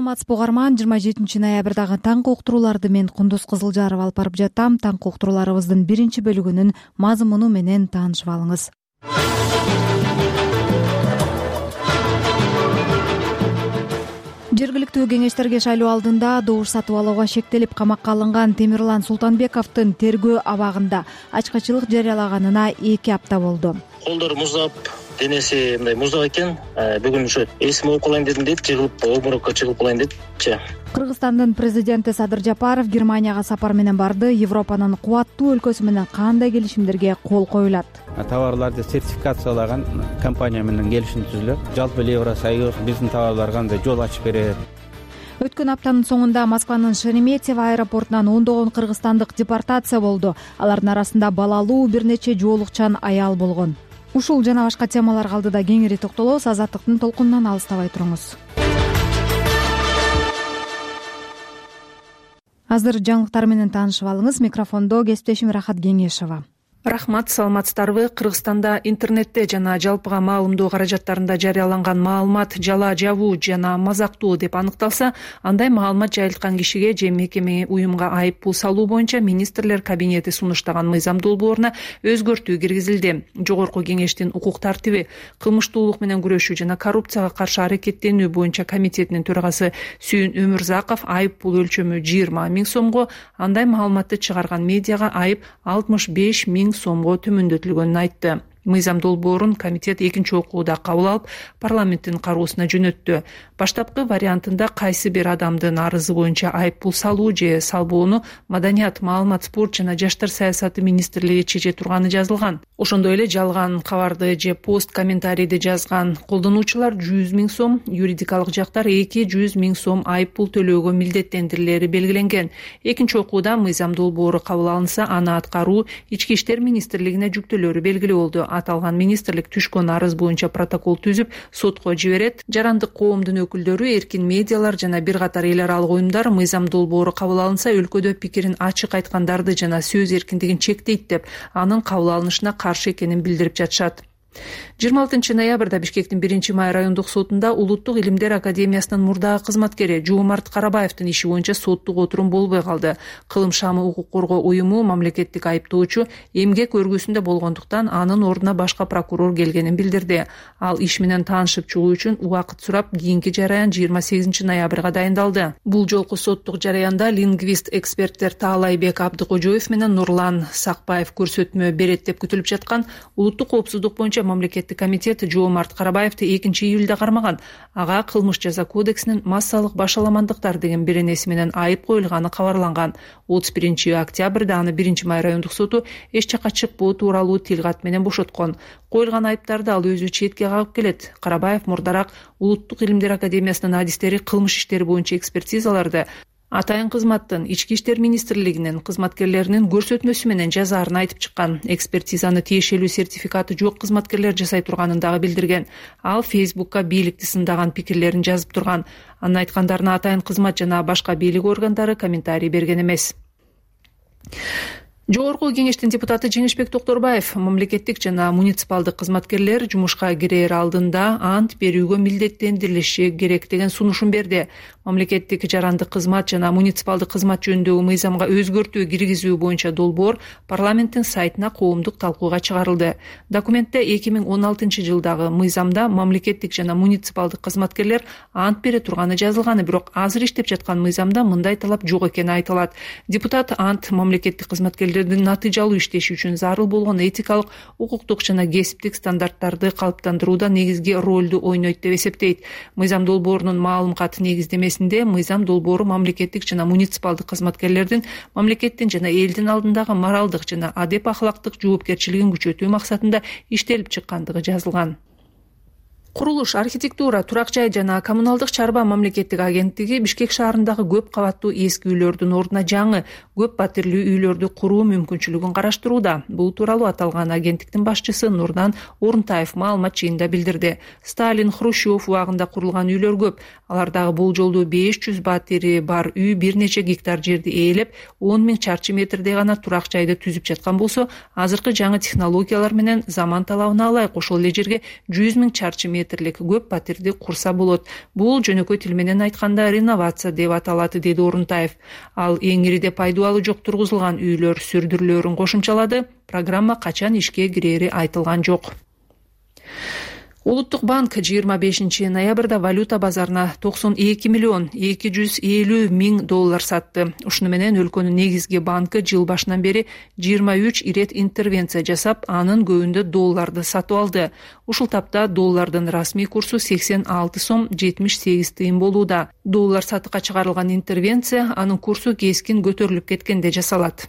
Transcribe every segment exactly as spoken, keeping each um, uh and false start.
Саламатсызбы угарман, жыйырма жетинчи ноябрдагы таңкы уктурууларды мен Кундуз Кызылжарова алып барып жатам. Таңкы уктурууларыбыздын биринчи бөлүгүнүн мазмуну менен таанышып алыңыз. Жергиликтүү кеңештерге шайлоо алдында добуш сатып алууга шектелип камакка алынган Темирлан Султанбековдун тергөө абагында ачкычылык жарыялаганына эки апта болду. Колдору муздап, денеси мындай муздак экен. Бүгүн ушу эсим ооп калайын дедим дейт, жыгылып обморокко чыгып калайын дедичи. Кыргызстандын президенти Садыр Жапаров Германияга сапар менен барды. Европанын кубаттуу өлкөсү менен кандай келишимдерге кол коюлат? Товарларды сертификациялаган компания менен келишим түзүлөт. Жалпы Евросоюз биздин товарларга кандай жол ачып берет. Өткөн аптанын соңунда Москванын Шереметьево аэропортунан ондогон кыргызстандык депортация болду. Алардын арасында балалуу бир нече жоолукчан аял болгон. Ушул жана башка темаларга алдыда кеңири токтолобуз. Азаттыктын толкунунан алыстабай туруңуз. Азыр жаңылыктар менен таанышып алыңыз. Микрофондо кесиптешим Рахат Кеңешова. Рахмат, саламатсыздарбы? Кыргызстанда интернетте жана жалпыга маалымдоо каражаттарында жарыяланган маалымат жала жабуу жана мазактуу деп аныкталса, андай маалымат жайылткан кишиге же мекеме уюмга айып пул салуу боюнча министрлер кабинети сунуштаган мыйзам долбооруна өзгөртүү киргизилди. Жогорку кеңештин укук тартиби, кылмыштуулук менен күрөшүү жана коррупцияга каршы аракеттенүү боюнча комитетинин төрагасы Сүйүн Өмүрзаков айып пул өлчөмү жыйырма миң сомго, андай маалыматты чыгарган медиага айып алтымыш беш миң сомго төмөндөтүлгөнүн айтты. Мыйзам долбоорун комитет экинчи окууда кабыл алып, парламенттин кароосуна жөнөттү. Баштапкы вариантында кайсы бир адамдын арызы боюнча айып пул салуу же салбоону Маданият, маалымат, спорт жана жаштар саясаты министрлиги чече турганы жазылган. Ошондой эле жалган кабарды же пост комментарийди жазган колдонуучулар жүз миң сом, юридикалык жактар эки жүз миң сом айып пул төлөөгө милдеттендирилери белгиленген. Экинчи окууда мыйзам долбоору кабыл алынса, аны аткаруу Ички иштер министрлигине жүктөөлөрү белгилүү болду. Аталган министрлик түшкөн арыз боюнча протокол түзүп, сотко жиберет. Жарандык коомдун өкүлдөрү, эркин медиалар жана бир катар эл аралык уюмдар мыйзам долбоору кабыл алынса, өлкөдө пикирин ачык айткандарды жана сөз эркиндигин чектейт деп, анын кабыл алынышына каршы экенин билдирип жатышат. жыйырма алтынчы ноябрда Бишкектин биринчи май райондук сотунда Улуттук илимдер академиясынын мурдагы кызматкери Жоомарт Карабаевдин иши боюнча соттук отурум болбой калды. Кылым шамы укук коргоо уюму мамлекеттик айыптоочу эмгек өргүсүндө болгондуктан анын ордуна башка прокурор келгенин билдирди. Ал иш менен таанышып чыгуу үчүн убакыт сурап, кийинки жараян жыйырма сегизинчи ноябрга дайындалды. Бул жолку соттук жараянда лингвист эксперттер Таалайбек Абдыкожоев менен Нурлан Сакбаев көрсөтмө берет деп күтүлүп жаткан улуттук коопсуздук боюнча мамлекеттик комитет Жоомарт Карабаевди экинчи июлда кармаган. Ага кылмыш жаза кодексинин массалык башаламандыктар деген беренеси менен айып коюлганы кабарланган. отуз биринчи октябрда аны биринчи май райондук соту эч жакка чыкпоо тууралуу тилкат менен бошоткон. Коюлган айыптарды ал өзү четке кагып келет. Карабаев мурдараак Улуттук илимдер академиясынын адистери кылмыш иштери боюнча экспертизаларды атайын кызматтын Ички иштер министрлигинин кызматкерлеринин көрсөтмөсү менен жазаарын айтып чыккан. Экспертизаны тиешелүү сертификаты жок кызматкерлер жасай турганын дагы билдирген. Ал Фейсбукка бийликти сындаган пикирлерин жазып турган. Анын айткандарына атайын кызмат жана башка бийлик органдары комментарий берген эмес. Жогорку кеңештин депутаты Жеңишбек Токторбаев мамлекеттик жана муниципалдык кызматкерлер жумушка кирээр алдында ант берүүгө милдеттендирилиши керек деген сунушун берди. Мамлекеттик жарандык кызмат жана муниципалдык кызмат жөнүндөгү мыйзамга өзгөртүү киргизүү боюнча долбоор парламенттин сайтына коомдук талкууга чыгарылды. Документте эки миң он алтынчы жылдагы мыйзамда мамлекеттик жана муниципалдык кызматкерлер ант бере турганы жазылганы, бирок азыр иштеп жаткан мыйзамда мындай талап жок экени айтылат. Депутат ант мамлекеттик кызматкерлер натыйжалуу иштеши үчүн зарыл болгон этикалык, укуктук жана кесиптик стандарттарды калыптандырууда негизги ролду ойнойт деп эсептейт. Мыйзам долбоорунун маалым кат негиздемесинде мыйзам долбоору мамлекеттик жана муниципалдык кызматкерлердин мамлекеттин жана элдин алдындагы моралдык жана адеп ахлактык жоопкерчилигин күчөтүү максатында иштелип чыккандыгы жазылган. Курулуш, архитектура, турак жай жана коммуналдык чарба мамлекеттик агенттиги Бишкек шаарындагы көп кабаттуу эски үйлөрдүн ордуна жаңы көп батирлүү үйлөрдү куруу мүмкүнчүлүгүн караштырууда. Бул тууралуу аталган агенттиктин башчысы Нурдан Орунтаев маалымат жыйында билдирди. Сталин, Хрущев убагында курулган үйлөр көп. Алардагы болжолдуу беш жүз батири бар үй бир нече гектар жерди ээлеп, он миң чарчы метрдей гана турак жайды түзүп жаткан болсо, азыркы жаңы технологиялар менен заман талабына ылайык ошол эле жерге жүз миң чарчы метрлик көп патерди курса болот. Бул жөнөкөй тил менен айтканда реновация деп аталат, деди Орунтаев. Ал эң ириде пайдубалы жок тургузулган үйлөр сүрдүрүлөрүн кошумчалады. Программа качан ишке кирери айтылган жок. Улуттук банк жыйырма бешинчи ноябрда валюта базарына токсон эки миллион эки жүз элүү миң доллар сатты. Ушуну менен өлкөнүн негизги банкы жыл башынан бери жыйырма үч ирет интервенция жасап, анын көбүндө долларды сатып алды. Ушул тапта доллардын расмий курсу сексен алты сом жетимиш сегиз тыйын болууда. Доллар сатыкка чыгарылган интервенция анын курсу кескин көтөрүлүп кеткенде жасалат.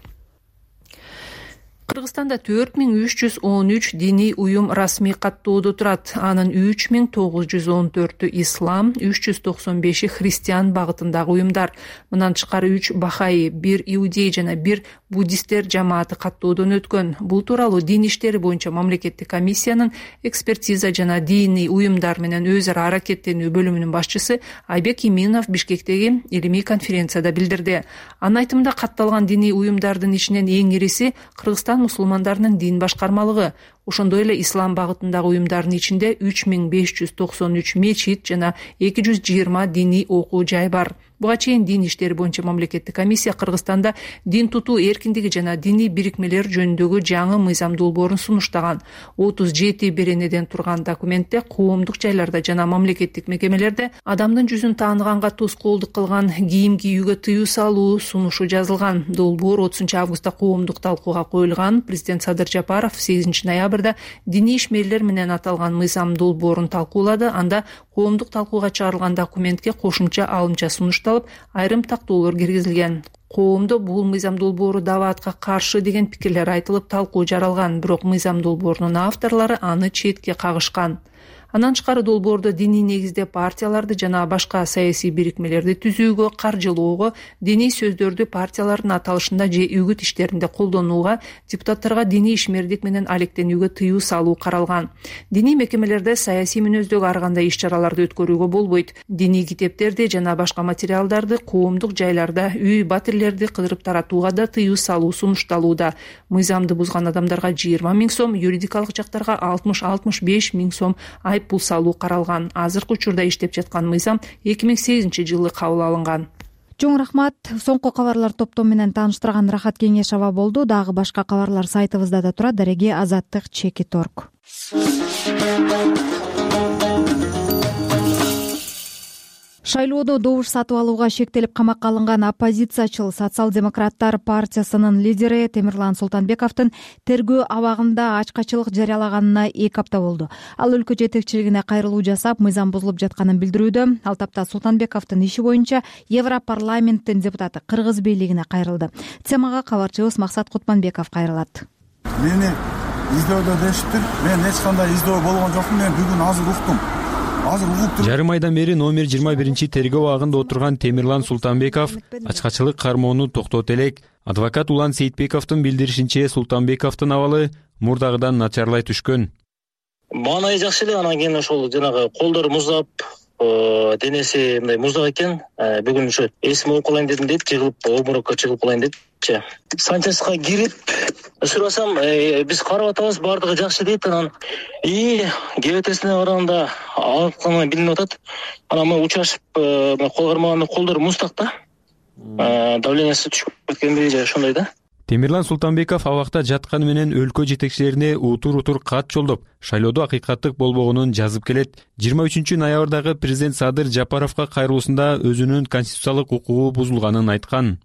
Кыргызстанда төрт миң үч жүз он үч диний уюм расмий каттоодо турат. Анын үч миң тогуз жүз он төртү ислам, үч жүз токсон беши христиан багытындагы уюмдар. Мындан тышкары үч бахаи, бир иудей жана бир буддисттер жамааты каттоодон өткөн. Бул тууралуу дин иштери боюнча мамлекеттик комиссиянын экспертиза жана диний уюмдар менен өз ара аракеттенүү бөлүмүнүн башчысы Айбек Иминов Бишкектеги илимий конференцияда билдирди. Анын айтымында катталган диний уюмдардын ичинен эң ириси Кыргызстан мусулмандарынын дин башкармалыгы. Ошондой эле ислам багытындагы уюмдардын ичинде үч миң беш жүз токсон үч мечит жана эки жүз жыйырма диний окуу жай бар. Буга чейин дин иштери боюнча мамлекеттик комиссия Кыргызстанда дин тутуу эркиндиги жана диний бирикмелер жөнүндөгү жаңы мыйзам долбоорун сунуштаган. отуз жети беренеден турган документте коомдук жайларда жана мамлекеттик мекемелерде адамдын жүзүн тааныганга тоскоолдук кылган кийим кийүүгө тыюу салуу сунушу жазылган. Долбоор отузунчу августта коомдук талкууга коюлган. Президент Садыр Жапаров сегизинчи ноябрда диний ишмерлер менен аталган мыйзам долбоорун талкуулады. Анда коомдук талкууга чыгарылган документке кошумча алымча сунушталып, айрым тактоолор киргизилген. Коомдо бул мыйзам долбоору дабаатка каршы деген пикирлер айтылып, талкуу жаралган. Бирок мыйзам долбоорунун авторлору аны четке кагышкан. Андан тышкары долбоордо диний негизде партияларды жана башка саясий бирикмелерди түзүүгө, каржылоого, диний сөздөрдү партиялардын аталышында же үгүт иштеринде колдонууга, депутаттарга диний ишмердик менен алектенүүгө тыюу салуу каралган. Диний мекемелерде саясий мүнөздөгү ар кандай иш-чараларды өткөрүүгө болбойт. Диний китептерди жана башка материалдарды коомдук жайларда үй батирлерди кыдырып таратууга да тыюу салуу сунушталууда. Мыйзамды бузган адамдарга жыйырма миң сом, юридикалык жактарга алтымыш алтымыш беш миң сом айыппул салуу каралган. Азыркы учурда иштеп жаткан мыйзам эки миң сегизинчи жылы кабыл алынган. Чоң рахмат. Соңку кабарлар топтому менен тааныштырган Рахат Кеңешова болду. Дагы башка кабарлар сайтыбызда да турат. Дареге азаттык чеки торг. Шайлоодо добуш сатып алууга шектелип камакка алынган оппозициячыл Социал-демократтар партиясынын лидери Темирлан Султанбековдун тергөө абагында ачкачылык жарыялаганына эки апта болду. Ал өлкө жетекчилигине кайрылуу жасап, мыйзам бузулуп жатканын билдирүүдө. Ал тапта Султанбековдун иши боюнча Европарламенттин депутаты Кыргыз бийлигине кайрылды. Темага кабарчыбыз Максат Кутманбеков кайрылат. Мени издөөдө дешиптир. Мен эч кандай издөө болгон жокмун. Мен бүгүн азыр уктум. Жарым айдан бери номер жыйырма биринчи тергөө абагында отурган Темирлан Султанбеков ачкачылык кармоону токтот элек. Адвокат Улан Сейитбековдун билдиришинче, Султанбековдун абалы мурдагыдан начарлай түшкөн. Маанайы жакшы эле, анан кийин ошол жанагы колдору муздап, денеси мындай муздак экен. Бүгүн ошо эсим алып калайын дедим дейт, жыгылып обморокко чыгып калайын депчи. Санчаска кирип сурасам, биз карап атабыз, баардыгы жакшы дейт. Анан и кебетесине барганда алканы билинип атат. Анан мен учашып, кол кармаганда колдору муздак да. Давлениясы түшүп кеткендей же ошондой да. Темирлан Султанбеков абакта жатканы менен өлкө жетекчилерине утур-утур кат жолдоп, шайлоодо акыйкаттык болбогонун жазып келет. жыйырма үчүнчү ноябрдагы президент Садыр Жапаровга кайрылуусунда өзүнүн конституциялык укугу бузулганын айткан.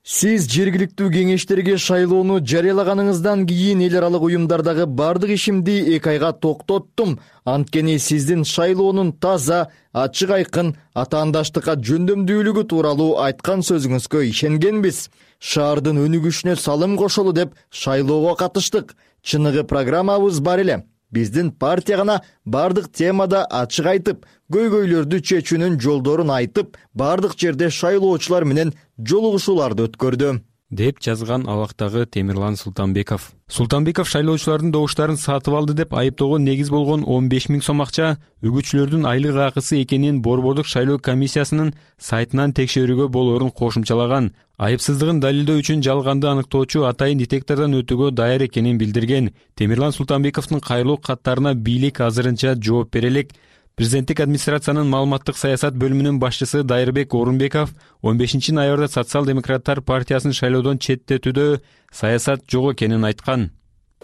Сиз жергиликтүү кеңештерге шайлоону жарыялаганыңыздан кийин эл аралык уюмдардагы бардык ишимди эки айга токтоттум. Анткени сиздин шайлоонун таза, ачык айкын, атаандаштыкка жөндөмдүүлүгү тууралуу айткан сөзүңүзгө ишенгенбиз. Шаардын өнүгүшүнө салым кошолу деп шайлоого катыштык. Чыныгы программабыз бар эле. Биздин партия гана бардык темада ачык айтып, көйгөйлөрдү чечүүнүн жолдорун айтып, бардык жерде шайлоочулар менен жолугушууларды өткөрдү. деп жазган абактагы Темирлан Султанбеков. Султанбеков шайлоочулардын добуштарын сатып алды деп айыптоого негиз болгон он беш миң сом акча үгүтчүлөрдүн айлык акысы экенин Борбордук шайлоо комиссиясынын сайтынан текшерүүгө болоорун кошумчалаган. Айыпсыздыгын далилдөө үчүн жалганды аныктоочу атайын детектордон өтүүгө даяр экенин билдирген. Темирлан Султанбековдун кайрылуу каттарына бийлик азырынча жооп бере элек. Президенттик администрациянын маалыматтык саясат бөлүмүнүн башчысы Дайырбек Орунбеков он бешинчи ноябрда Социал-демократтар партиясын шайлоодон четтетүүдө саясат жок экенин айткан.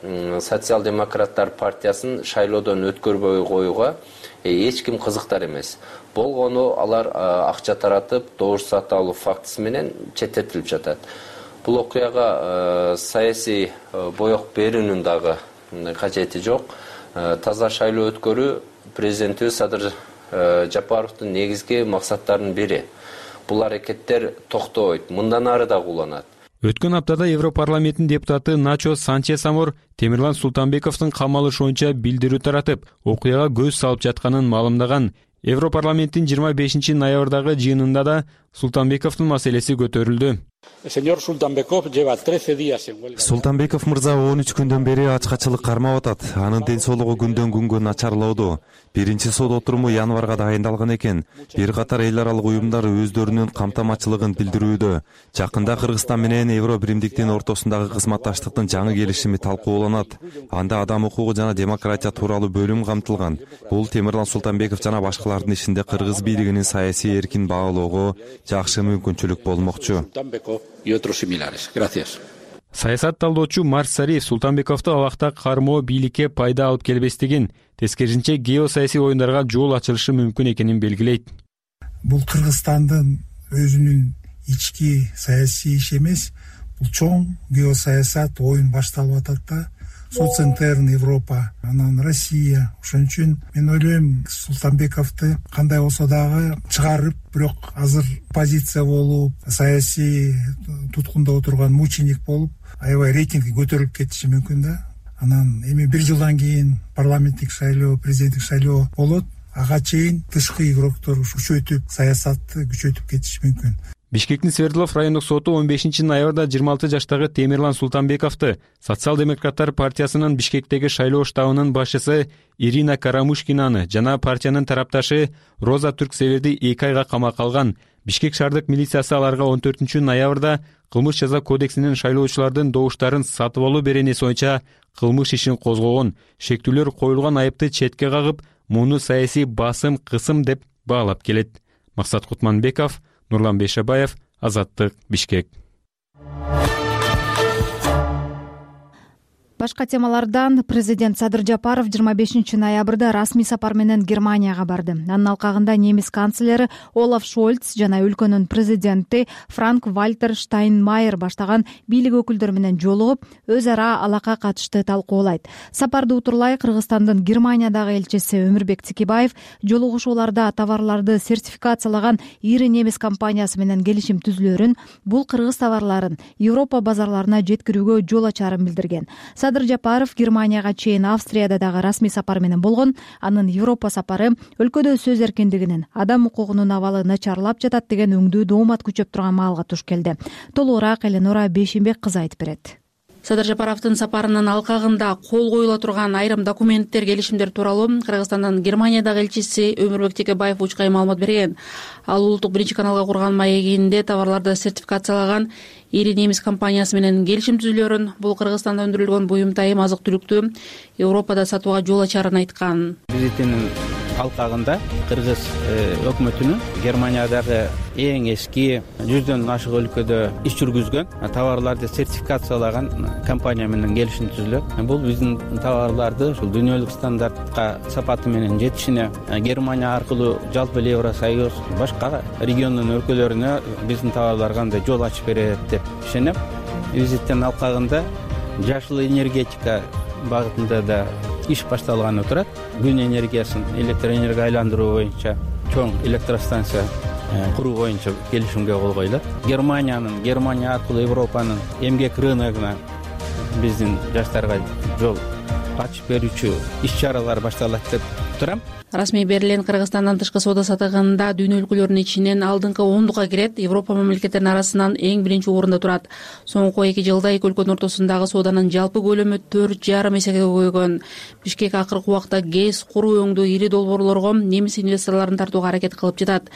Социал-демократтар партиясын шайлоодон өткөрбөй коюуга эч ким кызыктар эмес. Болгону алар акча таратып, добуш сатып алуу фактысы менен четтетилип жатат. Бул окуяга саясий боек берүүнүн дагы кажети жок. Таза шайлоо өткөрүү президентибиз Садыр Жапаровдун негизги максаттарынын бири. Бул аракеттер токтобойт, мындан ары да уланат. Өткөн аптада Европарламенттин депутаты Начо Санчес Амор Темирлан Султанбековдун камалышуунча билдирүү таратып, окуяга көз салып жатканын маалымдаган. Европарламенттин жыйырма бешинчи ноябрдагы жыйынында да Султанбековдун маселеси көтөрүлдү. Султанбеков мырза он үч күндөн бери ачкачылык кармап атат. Анын ден соолугу күндөн күнгө начарлоодо. Биринчи сот отуруму январга дайындалган экен. Бир катар эл аралык уюмдар өздөрүнүн камтамачылыгын билдирүүдө. Жакында Кыргызстан менен Евро биримдиктин ортосундагы кызматташтыктын жаңы келишими талкууланат. Анда адам укугу жана демократия тууралуу бөлүм камтылган. Бул Темирлан Султанбеков жана башкалардын ишинде кыргыз бийлигинин саясий эркин багалоого жакшы мүмкүнчүлүк болмокчу. Саясат талдоочу Марс Сариев Султанбековду абакта кармоо бийликке пайда алып келбестигин, тескерисинче геосаясий оюндарга жол ачылышы мүмкүн экенин белгилейт. Бул Кыргызстандын өзүнүн ички саясий иши эмес, бул чоң геосаясат оюн башталып атат да. Соцентерн Европа, анан Россия. Ошон үчүн мен ойлойм, Султанбековду кандай болсо дагы чыгарып, бирок азыр позиция болуп, саясий туткунда отурган мученик болуп, аябай рейтинги көтөрүлүп кетиши мүмкүн да. Анан эми бир жылдан кийин парламенттик шайлоо, президенттик шайлоо болот. Ага чейин тышкы игроктор күчөйтүп, саясатты күчөйтүп кетиши мүмкүн. Бишкектин Свердлов райондук соту он бешинчи ноябрда жыйырма алты жаштагы Темирлан Султанбековду Социал-демократтар партиясынын Бишкектеги шайлоо штабынын башчысы Ирина Карамушкинаны жана партиянын тарапташы Роза Түрксеверди эки айга камакка алган. Бишкек шаардык милициясы аларга он төртүнчү ноябрда кылмыш жаза кодексинин шайлоочулардын добуштарын сатып алуу беренеси боюнча кылмыш ишин козгогон. Шектүүлөр коюлган айыпты четке кагып, муну саясий басым, кысым деп баалап келет. Максат Кутманбеков, Нурлан Бейшабаев, Азаттык, Бишкек. Башка темалардан президент Садыр Жапаров жыйырма бешинчи ноябрда расмий сапар менен Германияга барды. Анын алкагында немис канцлери Олаф Шольц жана өлкөнүн президенти Франк Вальтер Штайнмайер баштаган бийлик өкүлдөрү менен жолугуп, өз ара алака катышты талкуулайт. Сапарды утурлай Кыргызстандын Германиядагы элчиси Өмүрбек Тикибаев жолугушууларда товарларды сертификациялаган ири немис компаниясы менен келишим түзүлөрүн, бул кыргыз товарларын Европа базарларына жеткирүүгө жол ачарын билдирген. Садыр Жапаров Германияга чейин Австрияда дагы расмий сапар менен болгон. Анын Европа сапары өлкөдө сөз эркиндигинин, адам укугунун абалы начарлап жатат деген өңдүү доомат күчөп турган маалга туш келди. Толугураак Эленора Бейшимбек кызы айтып берет. Садыр Жапаровдун сапарынын алкагында кол коюла турган айрым документтер, келишимдер тууралуу Кыргызстандын Германиядагы элчиси Өмүрбек Тикибаев учкай маалымат берген. Ал улуттук биринчи каналга курган маегинде товарларды сертификациялаган ири немис компаниясы менен келишим түзүлөрүн, бул Кыргызстанда өндүрүлгөн буюм-тайым, азык-түлүктү Европада сатууга жол ачарын айткан. Визитинин алкагында кыргыз өкмөтүнүн Германиядагы эң эски жүздөн ашык өлкөдө иш жүргүзгөн товарларды сертификациялаган компания менен келишим түзүлөт. Бул биздин товарларды ушул дүйнөлүк стандартка сапаты менен жетишине, Германия аркылуу жалпы Евросоюз башка региондун өлкөлөрүнө биздин товарларга андай жол ачып берет деп ишенем. Визиттин алкагында жашыл энергетика багытында да иш башталганы турат. Күн энергиясын электр энергияга айландыруу боюнча чоң электростанция куруу боюнча келишимге кол коюлат. Германиянын, Германия аркылуу Европанын эмгек рыногуна биздин жаштарга жол ачып берүүчү иш-чаралар башталат деп турам. Расмий берилген Кыргызстандан тышкы соода саттыгында дүйнө өлкөлөрүнүн ичинен алдыңкы ондукка кирет. Европа мамлекеттеринин арасынан эң биринчи орунда турат. Соңку эки жылда эки өлкөнүн ортосундагы сооданын жалпы көлөмү төрт жарым эсеге көбөйгөн. Бишкек акыркы убакта ГЭС куруу өңдүү ири долбоорлорго немис инвесторлорун тартууга аракет кылып жатат.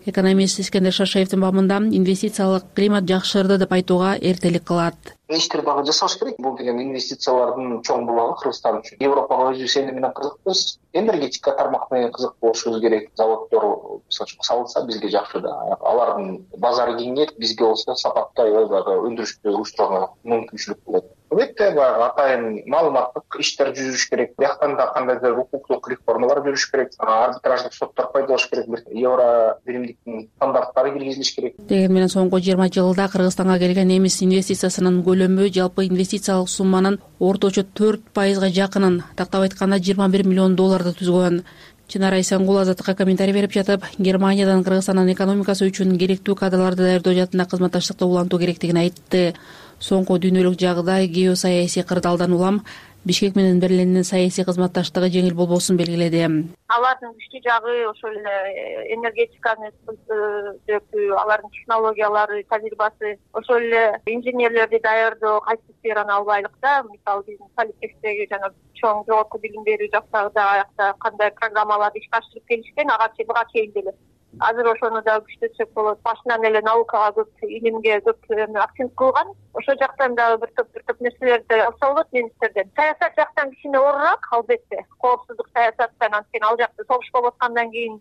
Экономист Искендер Шашаевдин бабында инвестициялык климат жакшырды деп айтууга эртелик кылат. Иштер дагы жасаш керек. Бул деген инвестициялардын чоң булагы Кыргызстан үчүн. Европага өзүбүз эне менен кызыкпыз. Энергетика тармак менен кызык болушубуз керек. Заводдор салынса бизге жакшы да. Алардын базары кеңейет, бизге болсо сапаттай дагы өндүрүштү уюштурууга мүмкүнчүлүк болот. Албетте баягы атайын маалыматтык иштер жүрүш керек. Бияктан да кандайдыр укуктук реформалар жүрүш керек. Арбитраждык соттор пайдалаш керек. Евро биримдиктин стандарттары киргизилиш керек. Деген менен соңку жыйырма жылда Кыргызстанга келген немис инвестициясынын көлөмү жалпы инвестициялык сумманын орточо төрт пайызга жакынын, тактап айтканда жыйырма бир миллион долларды түзгөн. Чынара Исенгул Азаттыкка комментарий берип жатып, Германиядан Кыргызстандын экономикасы үчүн керектүү кадрларды даярдоо жаатында кызматташтыкты улантуу керектигин айтты. Соңку дүйнөлүк жагдай геосаясий кырдаалдан улам Бишкек менен Берлиндин саясий кызматташтыгы жеңил болбосун белгиледи. Алардын күчтүү жагы ошол эле энергетиканы жөнүндө, алардын технологиялары, тажрыйбасы, ошол эле инженерлерди даярдоо кайсы сфераны албайлык да. Мисалы биздин Политехтеги жана чоң жогорку билим берүү жактагы да аякта кандай программаларды ишке ашырып келишкен, ага чейин буга чейин деле. Азыр ошону да күчтөтсөк болот. Башынан эле наукага көп, илимге көп акцент кылган. Ошол жактан дагы бир топ бир топ нерселерди алса болот немистерден. Саясат жактан кичине оорураак, албетте. Коопсуздук саясаттан, анткени ал жакта согуш болуп аткандан кийин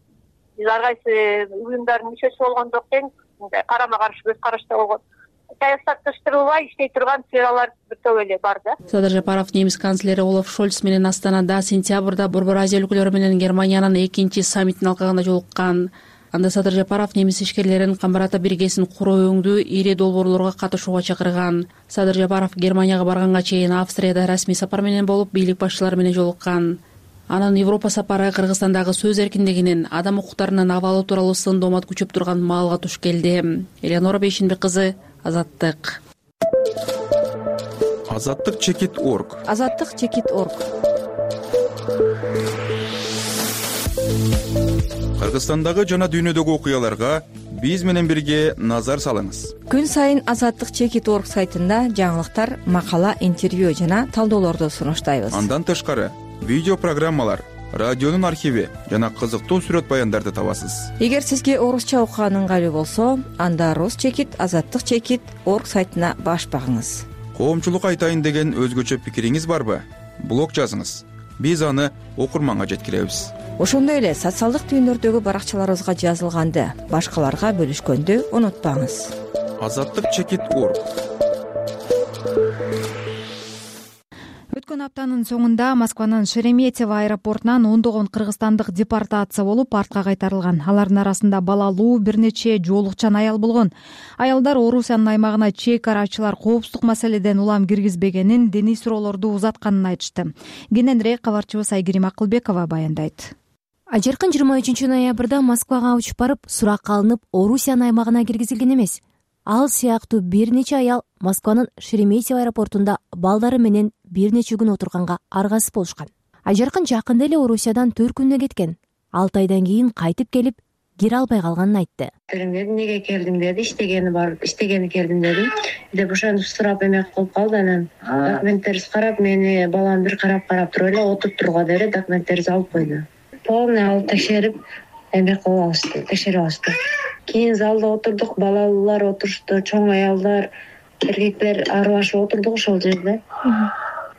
биз ар кайсы уюмдардын мүчөсү болгондон кийин карама каршы көз карашта болгон. Саясатташтырылбай иштей турган сфералар бир топ эле бар да. Садыр Жапаров немис канцлери Олаф Шольц менен Астанада сентябрда Борбор Азия өлкөлөрү менен Германиянын экинчи саммитин алкагында жолуккан. Анда Садыр Жапаров немис ишкерлерин Камбарата биргесин куруу өңдүү ири долбоорлорго катышууга чакырган. Садыр Жапаров Германияга барганга чейин Австрияда расмий сапар менен болуп, бийлик башчылары менен жолуккан. Анын Европа сапары Кыргызстандагы сөз эркиндигинин, адам укуктарынын абалы тууралуу сын доомат күчөп турган маалга туш келди. Элеонора Бейшинбек кызы, Азаттык. Азаттык чекит точка орг. Азаттык чекит точка орг. Кыргызстандагы жана дүйнөдөгү окуяларга биз менен бирге назар салыңыз. Күн сайын Азаттык чекит точка орг сайтында жаңылыктар, макала, интервью жана талдоолорду сунуштайбыз. Андан тышкары видео программалар, радионун архиви жана кызыктуу сүрөт баяндарды табасыз. Эгер сизге орусча окуган ыңгайлуу болсо, анда Рус чекит Азаттык чекит точка орг сайтына баш багыңыз. Коомчулук айтайын деген өзгөчө пикириңиз барбы? Блог жазыңыз. Биз аны окурманга жеткиребиз. Ошондой эле социалдык түйүндөрдөгү баракчаларыбызга жазылганды башкаларга бөлүшкөндү унутпаңыз. Азаттык чекит точка орг. Өткөн аптанын соңунда Москванын Шереметьево аэропортунан ондогон кыргызстандык депортация болуп, артка кайтарылган. Алардын арасында балалуу бир нече жоолукчан аял болгон. Аялдар Орусиянын аймагына чек арачылар коопсуздук маселеден улам киргизбегенин, диний суроолорду узатканын айтышты. Кененирээк кабарчыбыз Айгерим Акылбекова баяндайт. Ажаркын жыйырма үчүнчү ноябрда Москвага учуп барып, суракка алынып, Орусиянын аймагына киргизилген эмес. Ал сыяктуу бир нече аял Москванын Шереметьево аэропортунда балдары менен бир нече күн отурганга аргасыз болушкан. Ажаркын жакында эле Орусиядан төрт күнүнө кеткен. алты айдан кийин кайтып келип, кире албай калганын айтты. Эмнеге келдиң деди, иштегени бар, иштегени келдим дедим. Деп ошентип сурап эмек кылып калды, анан документтерди карап, мени балам бир карап карап туруп эле отуруп турга деди, документтерди алып койду. Полный алып текшерип, эмек кылып алышты, текшерип алышты. Кийин залда отурдук, балалар отурушту, чоң аялдар, эркектер аралашып отурдук ошол жерде.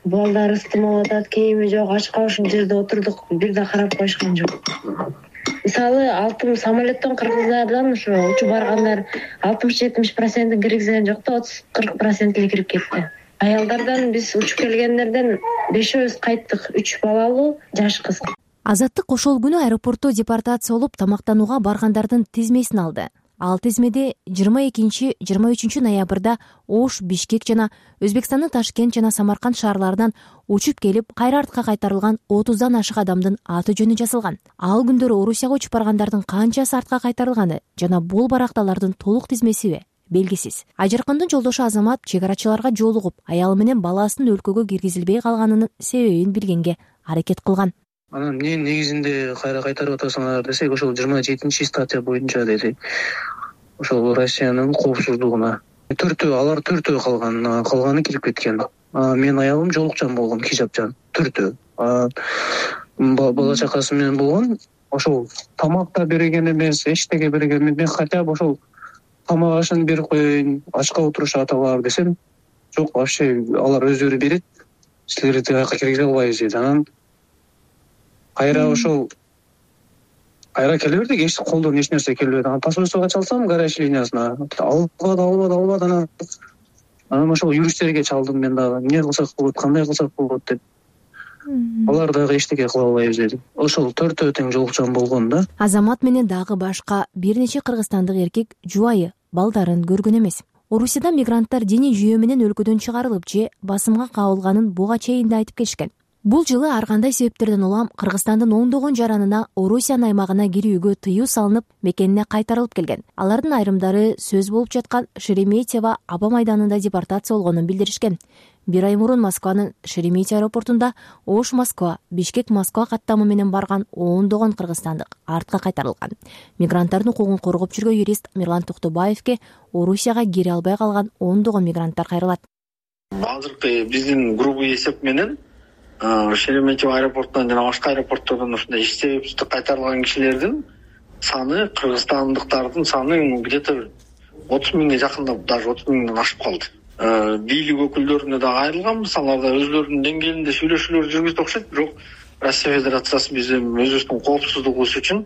Балдар ыстымап атат, кийими жок, ачка ушул жерде отурдук, бир да карап коюшкан жок. Мисалы, алтын самолеттон кыргыздардан ушу учуп баргандар алтымыш жетимиш процентин киргизген жок да, отуз кырк процент эле кирип кетти. Аялдардан биз учуп келгендерден бешөөбүз кайттык, үч балалуу, жаш кыз. Азаттык ошол күнү аэропортто депортация болуп, тамактанууга баргандардын тизмесин алды. Ал тизмеде жыйырма экинчи жыйырма үчүнчү ноябрда Ош, Бишкек жана Өзбекстандын Ташкент жана Самарканд шаарларынан учуп келип, кайра артка кайтарылган отуздан ашык адамдын аты жөнү жазылган. Ал күндөрү Орусияга учуп баргандардын канчасы артка кайтарылганы жана бул баракталардын толук тизмесиби белгисиз. Ажаркындын жолдошу Азамат чек арачыларга жолугуп, аялы менен баласынын өлкөгө киргизилбей калганынын себебин билгенге аракет кылган. Анан эмне негизинде кайра кайтарып атасыңар десек, ошол жыйырма жетинчи статья боюнча деди. Ошол Россиянын коопсуздугуна төртөө алар төртөө калган, калганы кирип кеткен. Мен аялым жолукчан болгон, хижапчан, төртөө. Бала чакасы менен болгон. Ошол тамак да берген эмес, эчтеке берген эмес. Мен хотя бы ошол тамак ашын берип коеюн, ачка отурушат алар десем, жок, вообще алар өздөрү берет, силерди тияка киргизе албайбыз дейт. Анан кайра ошол кайра келе бердик, эч колдон эч нерсе келбеди. Анан посольствого чалсам, гараж линиясына, албады, албады, албады. Анан анан ошол юристтерге чалдым мен дагы. Эмне кылсак болот, кандай кылсак болот деп. Алар дагы эчтеке кыла албайбыз деди. Ошол төртөө тең жолукчан болгон да. Азамат менен дагы башка бир нече кыргызстандык эркек жубайы, балдарын көргөн эмес. Орусияда мигранттар диний жүйө менен өлкөдөн чыгарылып же басымга кабылганын буга чейин да айтып келишкен. Бул жылы ар кандай себептерден улам Кыргызстандын ондогон жаранына Орусиянын аймагына кирүүгө тыюу салынып, мекенине кайтарылып келген. Алардын айрымдары сөз болуп жаткан Шереметьево аба майданында депортация болгонун билдиришкен. Бир ай мурун Москванын Шереметьево аэропортунда Ош-Москва, Бишкек-Москва каттамы менен барган ондогон кыргызстандык артка кайтарылган. Мигранттардын укугун коргоп жүргөн юрист Мирлан Токтубаевке Орусияга кире албай калган ондогон мигранттар кайрылат. Азыркы биздин грубый эсеп менен Шереметьево аэропортунан жана башка аэропорттордон ушундай эч себепсиз кайтарылган кишилердин саны, кыргызстандыктардын саны где-то отуз миңге жакындап, даже отуз миңден ашып калды. Бийлик өкүлдөрүнө да айрылганбыз, алар да өздөрүнүн деңгээлинде сүйлөшүүлөр жүргүзүп окшойт, бирок Россия Федерациясы биздин өзүбүздүн коопсуздугубуз үчүн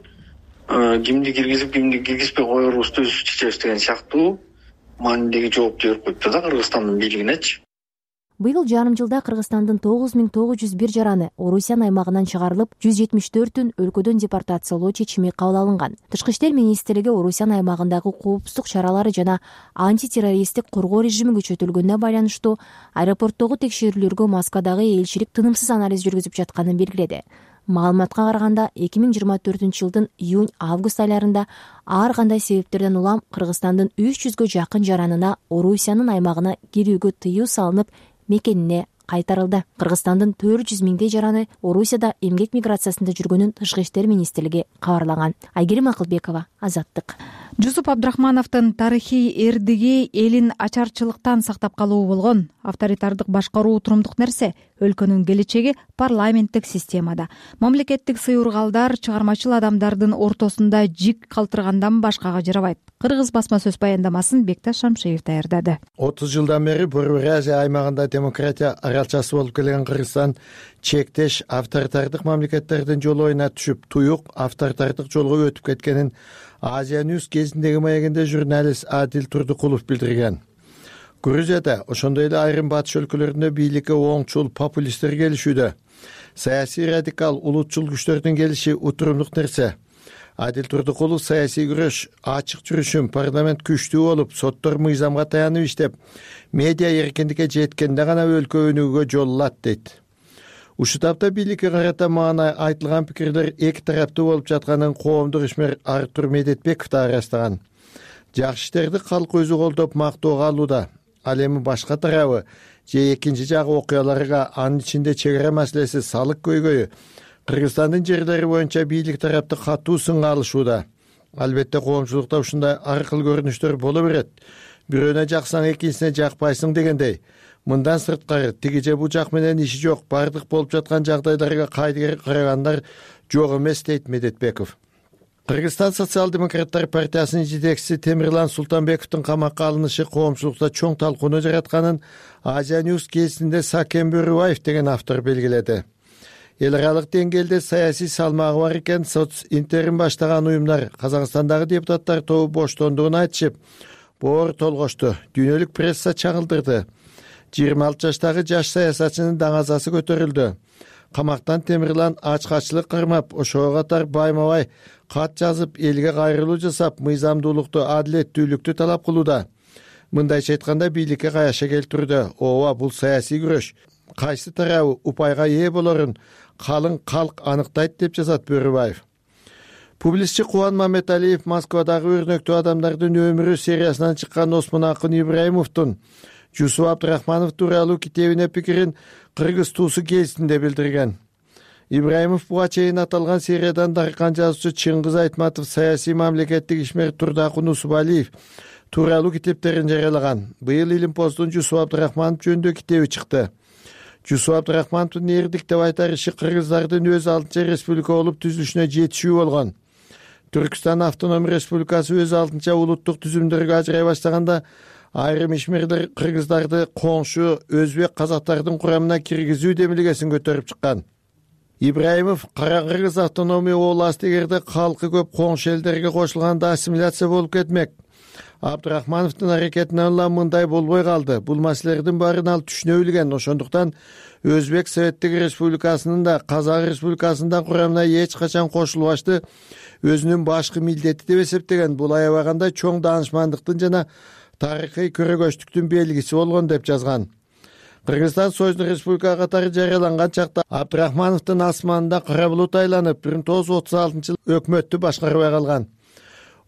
кимди киргизип, кимди киргизбей коерубузду өз чечебиз деген сыяктуу маанидеги жоопту берип коюптур да Кыргызстандын бийлигинечи. Быйыл жарым жылда Кыргызстандын тогуз миң тогуз жүз бир жараны Орусиянын аймагынан чыгарылып, жүз жетимиш төртүн өлкөдөн депортациялоо чечими кабыл алынган. Тышкы иштер министрлиги Орусиянын аймагындагы коопсуздук чаралары жана антитеррористтик коргоо режими күчөтүлгөнүнө байланыштуу аэропорттогу текшерүүлөргө Москвадагы элчилик тынымсыз анализ жүргүзүп жатканын белгиледи. Маалыматка караганда эки миң жыйырма төртүнчү жылдын июнь-август айларында ар кандай себептерден улам Кыргызстандын үч жүзгө жакын жаранына Орусиянын аймагына кирүүгө тыюу салынып, мекенине кайтарылды. Кыргызстандын төрт жүз миңдей жараны Орусияда эмгек миграциясында жүргөнүн Тышкы иштер министрлиги кабарлаган. Айгерим Акылбекова, Азаттык. Жусуп Абдрахмановдун тарыхый эрдиги элин ачарчылыктан сактап калуу болгон. Авторитардык башкаруу турумдук нерсе, өлкөнүн келечеги парламенттик системада. Мамлекеттик сыйыргалдар чыгармачыл адамдардын ортосунда жик калтыргандан башкага жарабайт. Кыргыз басма сөз баяндамасын Бекташ Шамшиев даярдады. отуз жылдан бери Борбор Азия аймагында демократия аралчасы болуп келген Кыргызстан чектеш авторитардык мамлекеттердин жолуна түшүп, туюк авторитардык жолго өтүп кеткенин Азия Ньюс кезиндеги маегинде журналист Адил Турдукулов билдирген. Грузияда ошондой эле айрым батыш өлкөлөрүндө бийликке оңчул популисттер келишүүдө. Саясий радикал улутчул күчтөрдүн келиши утурумдук нерсе. Адил Турдукулов саясий күрөш ачык жүрүшүн, парламент күчтүү болуп, соттор мыйзамга таянып иштеп, медиа эркиндикке жеткенде гана өлкө өнүгүүгө жол алат дейт. Ушул тапта бийликке карата маана айтылган пикирлер эки тараптуу болуп жатканын коомдук ишмер Артур Медетбеков да ырастаган. Жакшы иштерди калк өзү колдоп мактоого алууда. Ал эми башка тарабы же экинчи жагы окуяларга, анын ичинде чек ара маселеси, салык көйгөйү, Кыргызстандын жерлери боюнча бийлик тарапты катуу сынга алышууда. Албетте коомчулукта ушундай ар кыл көрүнүштөр боло берет. Бирөөнө жаксаң экинчисине жакпайсың дегендей. Мындан сырткары тиги же бул жак менен иши жок, бардык болуп жаткан жагдайларга кайдыгер карагандар жок эмес дейт Медетбеков. Кыргызстан социал-демократтар партиясынын жетекчиси Темирлан Султанбековдун камакка алынышы коомчулукта чоң талкууну жаратканын Азия Ньюс кезинде Сакен Бөрүбаев деген автор белгиледи. Эл аралык деңгээлде саясий салмагы бар экен, соц интерин баштаган уюмдар Казакстандагы депутаттар тобу боштондугун айтышып, боор толгошту, дүйнөлүк пресса чагылдырды. жыйырма алты жаштагы жаш саясатчынын даңазасы көтөрүлдү. Камактан Темирлан ачкачылык кырмап, ошого катар байма-бай кат жазып, элге кайрылуу жасап, мыйзамдуулукту, адилеттүүлүктү талап кылууда. Мындайча айтканда бийликке каяша келтирүүдө. Ооба, бул саясий күрөш. Кайсы тарабы упайга ээ болорун калың калк аныктайт деп жазат Бөрүбаев. Публицистчи Кубан Мамедалиев Москвадагы өрнөктүү адамдардын өмүрү сериясынан чыккан Осмон Акын Ибраимовдун Жусуп Абдрахманов тууралуу китебине пикирин кыргыз туусу кезинде билдирген. Ибраимов буга чейин аталган сериядан даркан жазуучу Чыңгыз Айтматов, саясий мамлекеттик ишмер Турдакун Усубалиев тууралуу китептерин жарыялаган. Быйыл Илимпоздун Жусуп Абдрахманов жөнүндө китеби чыкты. Жусуп Абдрахмановдун эрдик деп айтар иши кыргыздардын өз алдынча республика болуп түзүлүшүнө жетишүү болгон. Түркстан автоном республикасы өз алдынча улуттук түзүмдөргө ажырай баштаганда айрым ишмерлер кыргыздарды коңшу өзбек казактардын курамына киргизүү демилгесин көтөрүп чыккан. Ибраимов Кара Кыргыз автономия областы эгерде калкы көп коңшу элдерге кошулганда ассимиляция болуп кетмек. Абдрахмановдун аракетинен улам мындай болбой калды. Бул маселелердин баарын ал түшүнө билген. Ошондуктан Өзбек Советтик Республикасынын да Казак Республикасынын курамына эч качан кошулбашты өзүнүн башкы милдети деп эсептеген. Бул аябаганда чоң даанышмандыктын жана тарыхый көрөгөчтүктүн белгиси болгон деп жазган. Кыргызстан Союздук Республика катары жарыяланган чакта Абдрахмановдун асманында кара булут айланып, бир миң тогуз жүз отуз алтынчы жылы өкмөттү башкарбай калган.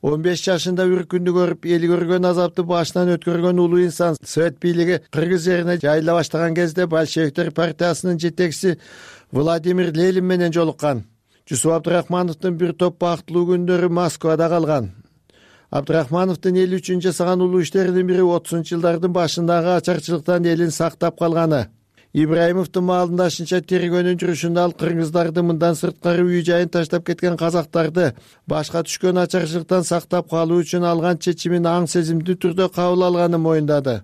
он беш жашында бір күндү көрүп, эл көргөн азапты башынан өткөргөн улуу инсан Совет бийлиги Кыргыз жерине жайыла баштаган кезде большевиктер партиясынын жетекчиси Владимир Ленин менен жолуккан. Жусуп Абдрахмановдун бир топ бактылуу күндөрү Москвада калган. Абдрахмановдун эл үчүн жасаган улуу иштеринин бири отузунчу жылдардын башындагы ачарчылыктан элин сактап калганы. Ибраимовдун маалындашынча тергөөнүн жүрүшүндө ал кыргыздарды мындан сырткары үй жайын таштап кеткен казактарды башка түшкөн ачарчылыктан сактап калуу үчүн алган чечимин аң сезимдүү түрдө кабыл алганын моюндады.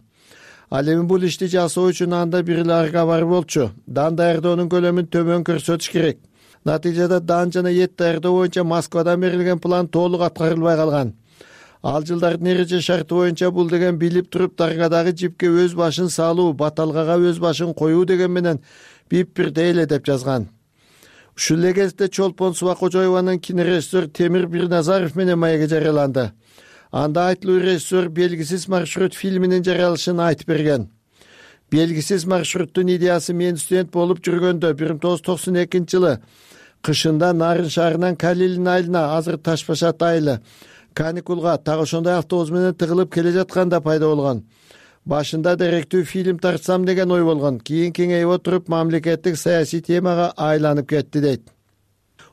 Ал эми бул ишти жасоо үчүн анда бир эле арга бар болчу. Дан даярдоонун көлөмүн төмөн көрсөтүш керек. Натыйжада дан жана эт даярдоо боюнча Москвадан берилген план толук аткарылбай калган. Ал жылдардын эреже шарты боюнча бул деген билип туруп даргадагы жипке өз башын салуу, баталгага өз башын коюу деген менен бип-бирдей эле деп жазган. Ушул эле кезде Чолпон Субакожоеванын кинорежиссер Темир Бирназаров менен маеги жарыяланды. Анда айтылуу режиссер «Белгисиз маршрут» фильминин жарыялышын айтып берген. «Белгисиз маршруттун» идеясы мен студент болуп жүргөндө бир миң тогуз жүз токсон экинчи жылы кышында Нарын шаарынан Калилин айылына, азыр Таш Башат айылы, каникулга так ошондой автобус менен тыгылып келе жатканда пайда болгон. Башында деректүү фильм тартсам деген ой болгон. Кийин кеңейип отуруп мамлекеттик саясий темага айланып кетти дейт.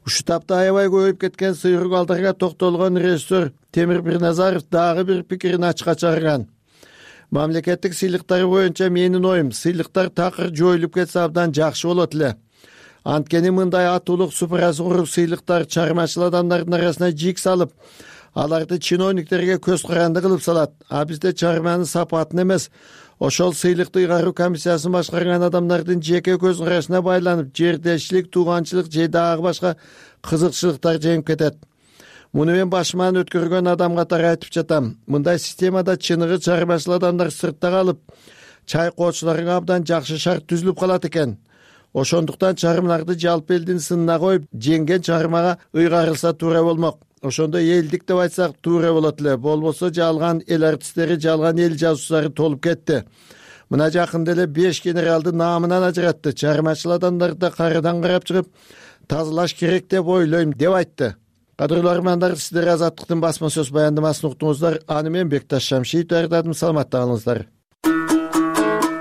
Ушул тапта аябай көбөйүп кеткен сыйрук алдарга токтолгон режиссер Темир Бирназаров дагы бир пикирин ачыкка чыгарган. Мамлекеттик сыйлыктар боюнча менин оюм, сыйлыктар такыр жоюлуп кетсе абдан жакшы болот эле. Анткени мындай атуулук супурасы куруп сыйлыктар чыгармачыл адамдардын арасына жик салып, аларды чиновниктерге көз каранды кылып салат. А бизде чыгарманын сапатын эмес, ошол сыйлыкты ыйгаруу комиссиясын башкарган адамдардын жеке көз карашына байланып, жердешчилик, тууганчылык же дагы башка кызыкчылыктар жеңип кетет. Муну мен башыман өткөргөн адам катары айтып жатам. Мындай системада чыныгы чыгармачыл адамдар сыртта калып, чайкоочуларга абдан жакшы шарт түзүлүп калат экен. Ошондуктан чыгармаларды жалпы элдин сынына коюп, жеңген чыгармага ыйгарылса туура болмок. Ошондо элдик деп айтсак туура болот эле. Болбосо жалган эл артисттери, жалган эл жазуучулары толуп кетти. Мына жакында эле беш генералды наамынан ажыратты. Чыгармачыл адамдарды карадан карап чыгып, тазалаш керек деп ойлойм деп айтты. Кадырлуу армандар, сиздер Азаттыктын басма сөз баяндамасын уктуңуздар. Аны мен Бекташ Шамшиев даярдадым. Саламатта калыңыздар.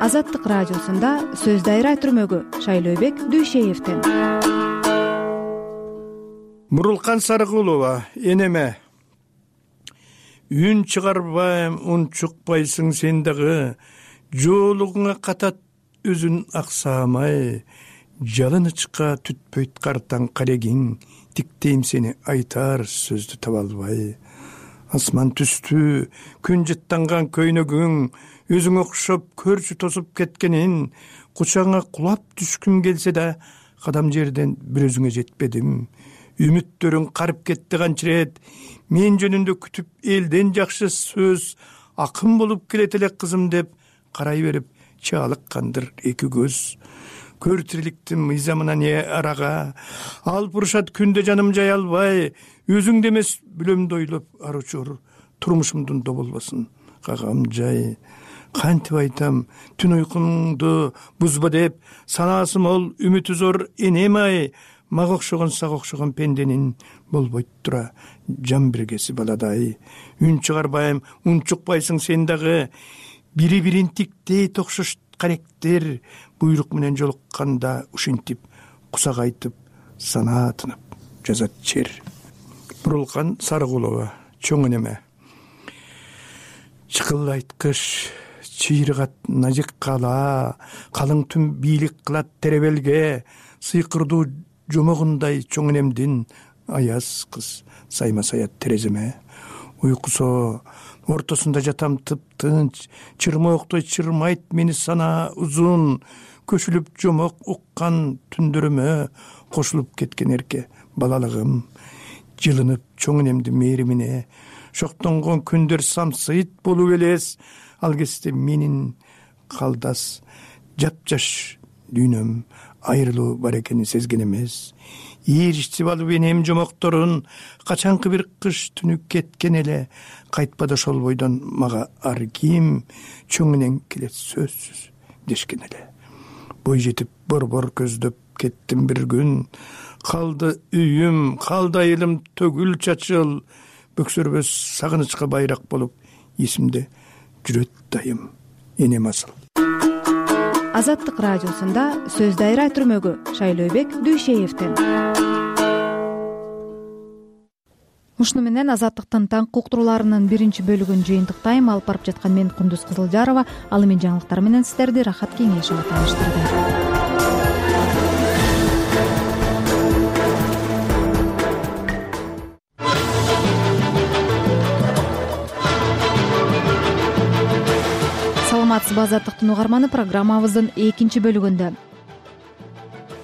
Азаттык радиосунда сөз дайра түрмөгү Шайлообек Дүйшеевден. Мурулкан Сарыкулова, энеме. Үн чыгарбайм, ун чукпайсың сен дагы, жоолугуңа катат өзүн аксамай, жалынычка түтпөйт картаң карегиң, тиктейм сени айтар сөздү таба албай. Асман түстү, күн жыттанган көйнөгүң, өзүң окшоп көрчү тосуп кеткенин, кучаңа кулап түшкүм келсе да, кадам жерден бир өзүңө жетпедим. Үмүттөрүң карып кетти канчырет, мен жөнүндө күтүп элден жакшы сөз, акын болуп келет эле кызым деп карай берип чаалыккандыр эки көз. Көр тириликтин мыйзамына не арага, алып урушат күндө жаным жай албай, өзүңдү эмес бүлөмдү ойлоп аручур, турмушумдун доболбосун кагам жай. Кантип айтам, түн уйкуңду бузба деп, санаасы мол, үмүтү зор энем-ай, мага окшогон сага окшогон пенденин болбойт тура жан биргеси баладай. Үн чыгарбайм, ун чукпайсың сен дагы, бири-бирин тиктей токшош каректер, буйрук менен жолукканда ушинтип кусак айтып санаатынып жазат чер. Бурулкан Сарыкулова, чоң энеме. Чыкылайт кыш, чыйрыгат назик кала, калың түн бийлик кылат теребелге, сыйкырдуу жомогундай чоң энемдин аяз кыз сайма саят тереземе. Уйкусо ортосунда жатам тып-тынч, чырмооктой чырмайт мени сана узун, көшүлүп жомок уккан түндөрүмө кошулуп кеткен эрке балалыгым. Жылынып чоң энемдин мээримине, шоктонгон күндөр самсыйт болуп элес, ал кезде менин калдас жапжаш дүйнөм айрылуу бар экенин сезген эмес. Ийиричип алып энем жомокторун, качанкы бир кыш түнү кеткен эле, кайтпады ошол бойдон мага ар ким, чоң энең келет сөзсүз дешкен эле. Бой жетип борбор көздөп кеттим бир күн, калды үйүм, калды айылым төгүл чачыл, бөксөрбөс сагынычка байрак болуп эсимде жүрөт дайым энем асыл. Азаттык радиосунда сөз дайра түрмөгү Шайлообек Дүйшеевден. Ушуну менен Азаттыктын таңкы уктурууларынын биринчи бөлүгүн жыйынтыктайм. Алып барып жаткан мен Кундуз Кызылжарова. Ал эми жаңылыктар менен сиздерди Рахат Кеңешова тааныштырды. Саламатсызбы Азаттыктын угарманы, программабыздын экинчи бөлүгүндө.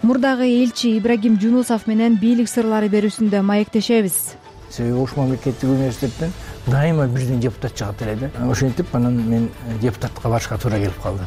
Мурдагы элчи Ибрагим Жунусов менен бийлик сырлары берүүсүндө маектешебиз. Себеби Ош мамлекеттик университеттен дайыма бирден депутат чыгат эле. Ошентип анан мен депутатка барышка туура келип калды.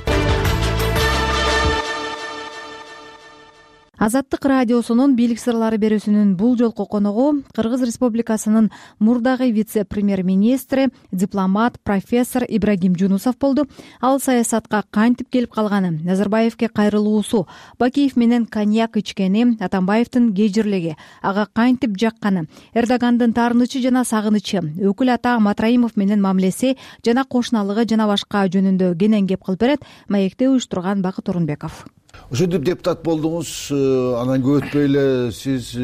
Азаттык радиосунун бийлик сырлары берүүсүнүн бул жолку коногу Кыргыз Республикасынын мурдагы вице-премьер-министри, дипломат, профессор Ибрагим Жунусов болду. Ал саясатка кантип келип калганын, Назарбаевке кайрылуусу, Бакиев менен коньяк ичкени, Атамбаевдин кежирлиги, ага кантип жакканы, Эрдогандын таарынычы жана сагынычы, өкүл ата Матраимов менен мамилеси жана кошуналыгы жана башка жөнүндө кенен кеп кылып берет. Маекте уюштурган Бакыт Орунбеков. Ошентип депутат болдуңуз, анан көп өтпөй эле сиз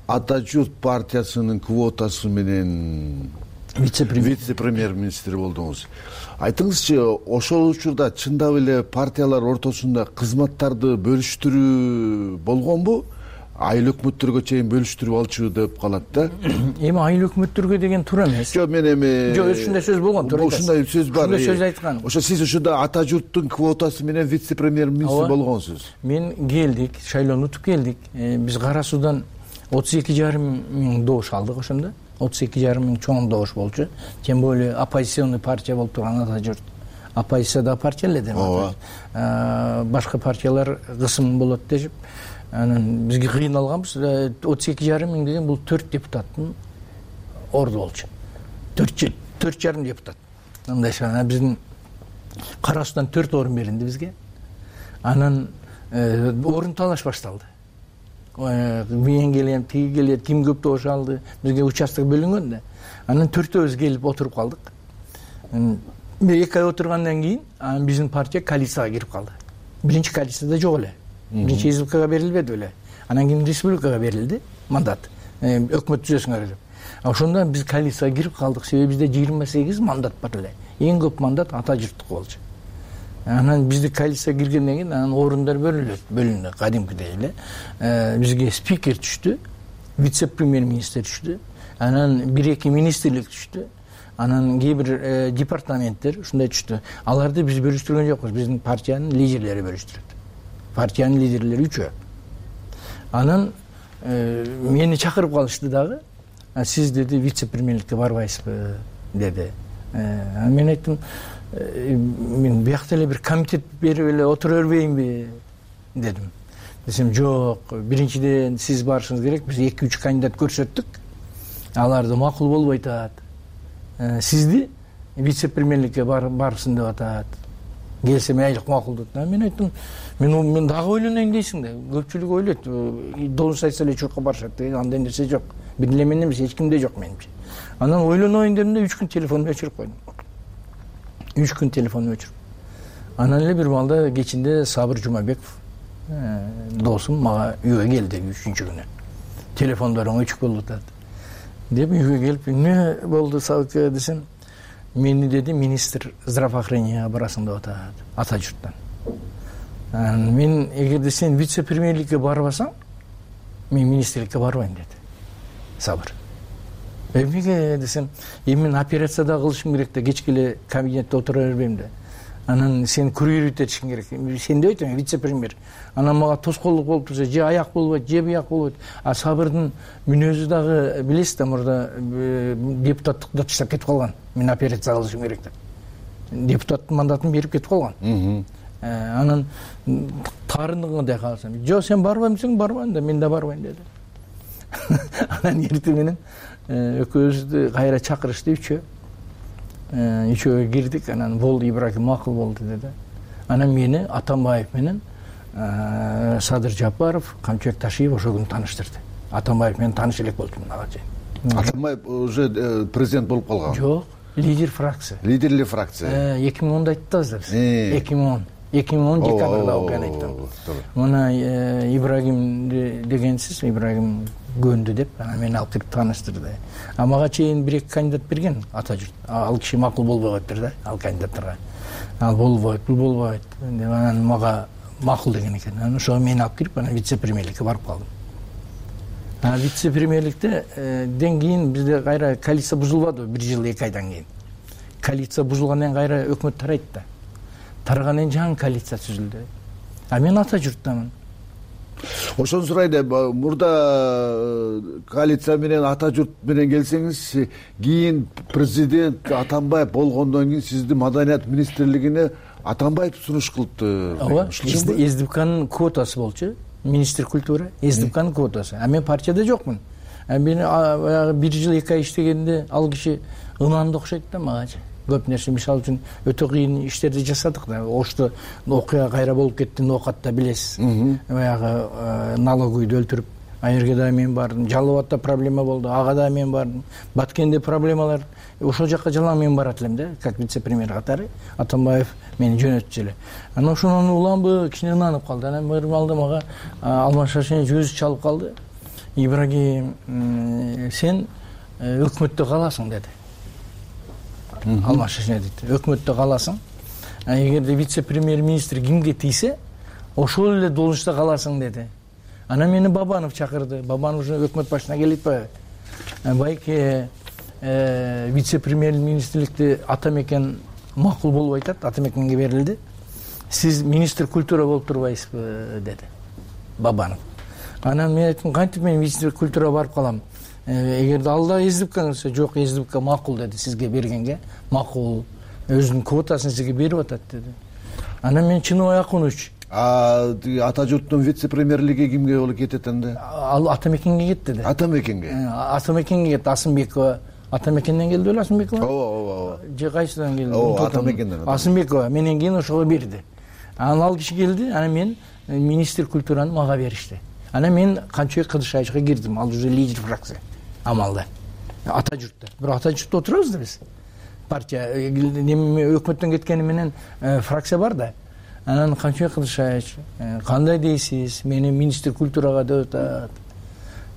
Ата журт партиясынын квотасы менен вице-премьер-министр болдуңуз. Айтыңызчы, ошол учурда чындап эле партиялар ортосунда кызматтарды бөлүштүрүү болгонбу? Айыл өкмөттөргө чейин бөлүштүрүп алчу деп калат да. Эми айыл өкмөттөргө деген туура эмес. Жок, мен эми Жок, ушундай сөз болгон, туура. Ушундай сөз бар. Ушундай сөз айткан. Ошо сиз ушунда Ата журттун квотасы менен вице-премьер-министр болгонсуз. Мен келдик, шайлоону утуп келдик. Биз Кара Суудан отуз эки жарым миң добуш алдык ошондо. отуз эки жарым миң чоң добуш болчу. Тем более оппозиционный партия болуп турган Ата журт. Оппозиция да партия эле деп атат. Башка партиялар кысым болот дешип, анан бизге кыйналганбыз. отуз эки жарым миң деген бул төрт депутаттын орду болчу. төрт төрт жарым депутат. Мындайча биздин Кара Суудан төрт орун берилди бизге. Анан орун талаш башталды. Мен келем, тиги келет, ким көп добуш алды. Бизге участок бөлүнгөн да. Анан төртөөбүз келип отуруп калдык. Эки ай отургандан кийин биздин партия коалицияга кирип калды. Биринчи коалицияда жок эле. Биринчи республикага берилбеди эле. Анан кийин республикага берилди мандат. Өкмөт түзөсүңөр деп. Ошондо биз коалицияга кирип калдык. Себеби бизде жыйырма сегиз мандат бар эле. Эң көп мандат Ата журттук болчу. Анан бизди коалицияга киргенден кийин анан орундар бөлүнөт, бөлүндү кадимкидей эле. Бизге спикер түштү, вице-премьер-министр түштү, анан бир-эки министрлик түштү. Анан кээ бир департаменттер ушундай түштү. Аларды биз бөлүштүргөн жокпуз, биздин партиянын лидерлери бөлүштүрөт. Партиянын лидерлери үчөө. Анан мени чакырып калышты дагы. Сиз деди вице-премьерликке барбайсызбы деди. Мен айттым, мен биякта эле бир комитет берип эле отура бербейинби дедим. Десем, жок, биринчиден сиз барышыңыз керек. Биз эки үч кандидат көрсөттүк. Аларды макул болбой атат. Сизди вице-премьерликке барсын деп атат. Келсе мейлик макул деп. Мен айттым, мен мен дагы ойлонойм дейсиң да. Көпчүлүк ойлойт, должность айтса эле чуркка барышат деген андай нерсе жок. Бир эле мен эмес, эч кимде жок менимче. Анан ойлоноюн дедим да, үч күн телефонду өчүрүп койдум. үч күн телефонду өчүрүп. Анан эле бир маалда кечинде Сабыр Жумабеков досум мага үйгө келди үчүнчү күнү. Телефондоруң өчүк болуп атат деп үйгө келип, эмне болду Сабыка десем, мени деди министр здравоохраненияга барасың деп атат ата журттан. Мен эгерде сен вице-премьерликке барбасаң, мен министрликке барбайм деди Сабыр. Эмнеге десем, эми мен операцияда кылышым керек да, кечке эле кабинетте отура бербейм да. Анан сен курьерить этишиң керек. Сен деп айтам, вице-премьер. Анан мага тоскоолдук болуп турса, же аяк болбойт, же бияк болбойт. А Сабырдын мүнөзү дагы билесиз да, мурда депутаттыкты таштап кетип калган. Мен операция кылышым керек деп. Депутаттын мандатын берип кетип калган. Анан тарындыгындай калсам, жок сен барбайм десең, барбайм да, мен да барбайм деди. Анан эртең менен экөөбүздү кайра чакырышты үчөө. Үчөө кирдик, анан болду Ибрагим макул болду деди. Анан мени Атамбаев менен Садыр Жапаров, Камчыбек Ташиев ошол күнү тааныштырды. Атамбаев менен тааныш элек болдум ага чейин. Атамбаев уже президент болуп калган? Жок, лидер фракция. Лидерли фракция. эки миң онда айттыбыз да биз. эки миң он. эки миң он декабрда окуяны айттым. Мына Ибрагим дегенсиз, Ибрагим көндү деп, анан мени алып кирип тааныштырды. А мага чейин бир эки кандидат берген ата журт. Ал киши макул болбой калыптыр да, ал кандидаттарга. Ал болбойт, бул болбойт деп анан мага макул деген экен. Анан ошого мени алып кирип, анан вице-премьерликке барып калдым. А вице-премьерликте ден кийин бизде кайра коалиция бузулбады, бир жыл эки айдан кийин. Коалиция бузулгандан кайра өкмөт тарайт да. Таргандан кийин жаңы коалиция түзүлдү. А мен ата журттамын. Ошону сурайын, мурда коалиция менен ата журт менен келсеңиз, кийин президент Атамбаев болгондон кийин сизди маданият министрлигине Атамбаев сунуш кылыптыр. Ооба, СДПКнын квотасы болчу, министр культура, СДПКнын квотасы. А мен партияда жокмун. Мен баягы бир жыл эки ай иштегенде ал киши ынанды окшойт да магачы. Көп нерсе, мисалы үчүн өтө кыйын иштерди жасадык да. Ошто окуя кайра болуп кетти, Ноокатта билесиз. Баягы налоговыйды өлтүрүп, Айырге да мен бардым. Жалал Абадта проблема болду, ага да мен бардым. Баткенде проблемалар, ошол жакка жалаң мен барат элем да, как вице-премьер катары. Атамбаев мени жөнөттү эле. Анан ошонун уламбы кичине ынанып калды. Анан мырым алды мага Алмашашин өзү чалып калды. Ибрагим, сен өкмөттө каласың деди. Алмашашин дейт. Өкмөттө каласың. Эгерде вице-премьер министр кимге тийсе, ошол эле должността каласың деди. Анан мени Бабанов чакырды. Бабанов уже өкмөт башына келип атпайбы? Байке вице-премьер министрликти Атамекен макул болуп атат, Атамекенге берилди. Сиз министр культура болуп турбайсызбы деди Бабанов. Анан мен айттым, кантип мен министр культура барып калам? Эгерде алда СДПК болсо, жок, СДПК макул деди сизге бергенге. Макул, өзүнүн квотасын сизге берип атат деди. Анан мен Чыныбай Акунович. А ата журттун вице-премьерлиги кимге болуп кетет анда? Ал Атамекенге кетти деди. Атамекенге. Атамекенге кетти. Асымбекова Атамекенден келди беле, Асымбекова? Ооба, ооба. Же кайсыдан келди? Ооба, Атамекенден. Асымбекова менен кийин ошого берди. Анан ал киши келди, анан мен министр культураны мага беришти. Анан мен Камчыбек Кыдышаевичке кирдим. Ал уже лидер фракция. Амалда. Ата журтта. Бирок ата журтта отурабыз да биз. Партия неме өкмөттөн кеткени менен фракция бар да. Анан Камчыбек Кыдышаевич, кандай дейсиз? Мени министр культурага деп атат.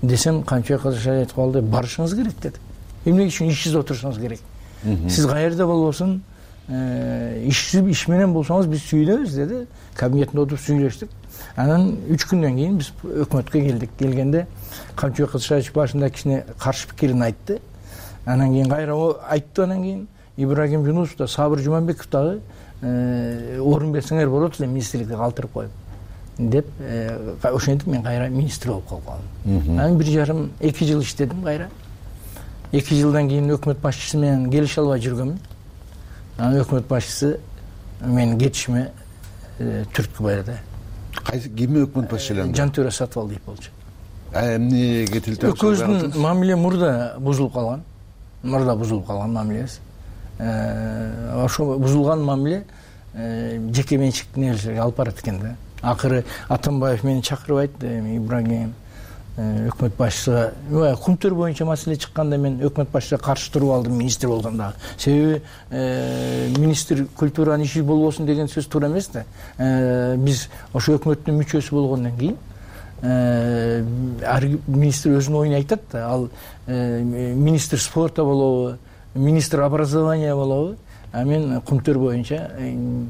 Десем, Камчыбек Кыдышаевич айтып калды, барышыңыз керек деди. Эмне үчүн ишсиз отурушуңуз керек? Сиз каерде болбосун, иш иш менен болсоңуз биз сүйлөбүз деди. Кабинетинде отуруп сүйлөштүк. Анан үч күндөн кийин биз өкмөткө келдик. Келгенде Камчыбек Кыдышаевич башында кичине каршы пикирин айтты. Анан кийин кайра айтты, анан кийин Ибрагим Жунусов да, Сабыр Жуманбеков дагы орун берсеңер болот эле, министрликти калтырып коюп деп ошентип мен кайра министр болуп калдым. Анан бир жарым эки жыл иштедим кайра. эки жылдан кийин өкмөт башчысы менен келише албай жүргөнмүн. Анан өкмөт башчысы менин кетишиме түрткү берди. Кайсы ким өкмөт башчысы? Жантөре Сатыбалдиев болчу. Эмне кетилди? Экөөбүздүн мамиле мурда бузулуп калган. Мурда бузулуп калган мамилебиз. Ошо бузулган мамиле жеке менчик нерселерге алып барат экен да. Акыры Атамбаев мени чакырып айтты, Ибрагим, өкмөт башчысыга кумтөр боюнча маселе чыкканда мен өкмөт башчысына каршы туруп алдым министр болгондо. Себеби министр культуранын иши болбосун деген сөз туура эмес да. Биз ошо өкмөттүн мүчөсү болгондон кийин министр өзүнүн оюн айтат да. Ал министр спорта болобу, министр образования болобу, а мен кумтөр боюнча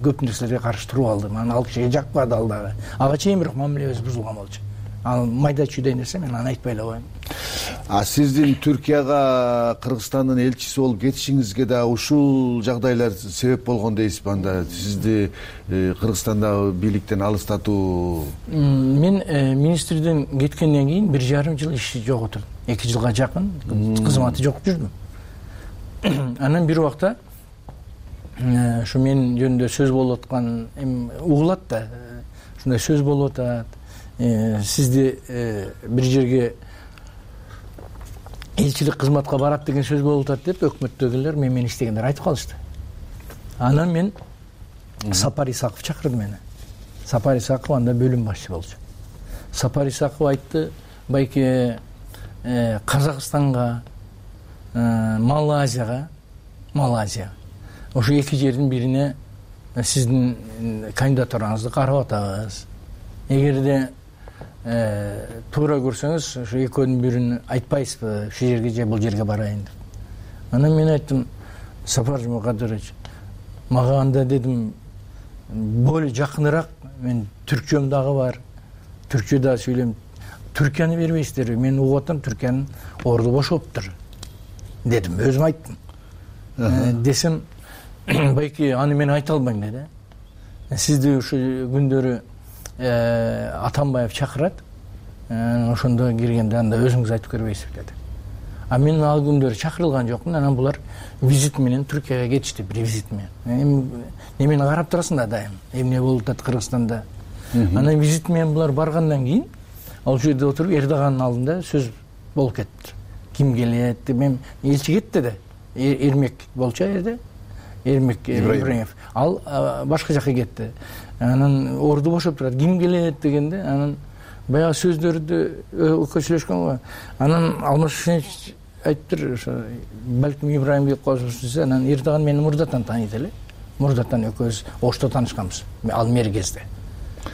көп нерселерге каршы туруп алдым. Анан ал кишиге жакпады ал дагы. Ага чейин бирок мамилебиз бузулган болчу. Ал майда чүйдөй нерсе, мен аны айтпай эле коеюн. А сиздин Түркияга Кыргызстандын элчиси болуп кетишиңизге да ушул жагдайлар себеп болгон дейсизби? Анда сизди Кыргызстанда бийликтен алыстатуу? Мен министрден кеткенден кийин бир жарым жыл иш жок отурдум. эки жылга жакын кызматы жок жүрдүм. Анан бир убакта ушу мен жөнүндө сөз болуп аткан эми угулат да. Ушундай сөз болуп атат. Сизди бир жерге элчилик кызматка барат деген сөз болуп атат деп өкмөттөгүлөр мен менен иштегендер айтып калышты. Анан мен Сапар Исаков чакырды мени. Сапар Исаков анда бөлүм башчы болчу. Сапар Исаков айтты, байке Казакстанга, Малайзияга, Малайзия. Ошо эки жердин бирине сиздин кандидатураңызды карап атабыз. Эгерде туура көрсөңүз, ошо экөөнүн бирин айтпайсызбы, ушул жерге же бул жерге барайын деп. Анан мен айттым, Сапар Жумакадырович, мага анда дедим, более жакыныраак, мен түркчөм дагы бар, түркчө да сүйлөйм. Түркияны бербейсиздерби? Мен угуп атам, Түркиянын орду бошоптур дедим, өзүм айттым. Десем, байки аны мен айта албайм деди. Сизди ушул күндөрү Атамбаев чакырат, ошондо киргенде анда өзүңүз айтып көрбөйсүзбү деди. А мен ал күндөрү чакырылган жокмун. Анан булар визит менен Түркияга кетишти, бир визит менен. Немени карап турасың да дайым, эмне болуп атат Кыргызстанда. Анан визит менен булар баргандан кийин ал жерде отуруп Эрдоганын алдында сөз болуп кетти. Ким келет? Мен элчи кетти да. Эрмек болчу жерде. Эрмек Ибраимов. Ал башка жака кетти. Анан орду бошоп турат. Ким келет дегенде, анан баягы сөздөрдү өкөчүлөшкөн го. Анан Алмаз Шушенович айтыптыр, ошо балким Ибраим деп коюшса, анан Эрдоган мени мурдатан тааныйт эле. Мурдатан экөөбүз Ошто таанышканбыз. Ал мергезде.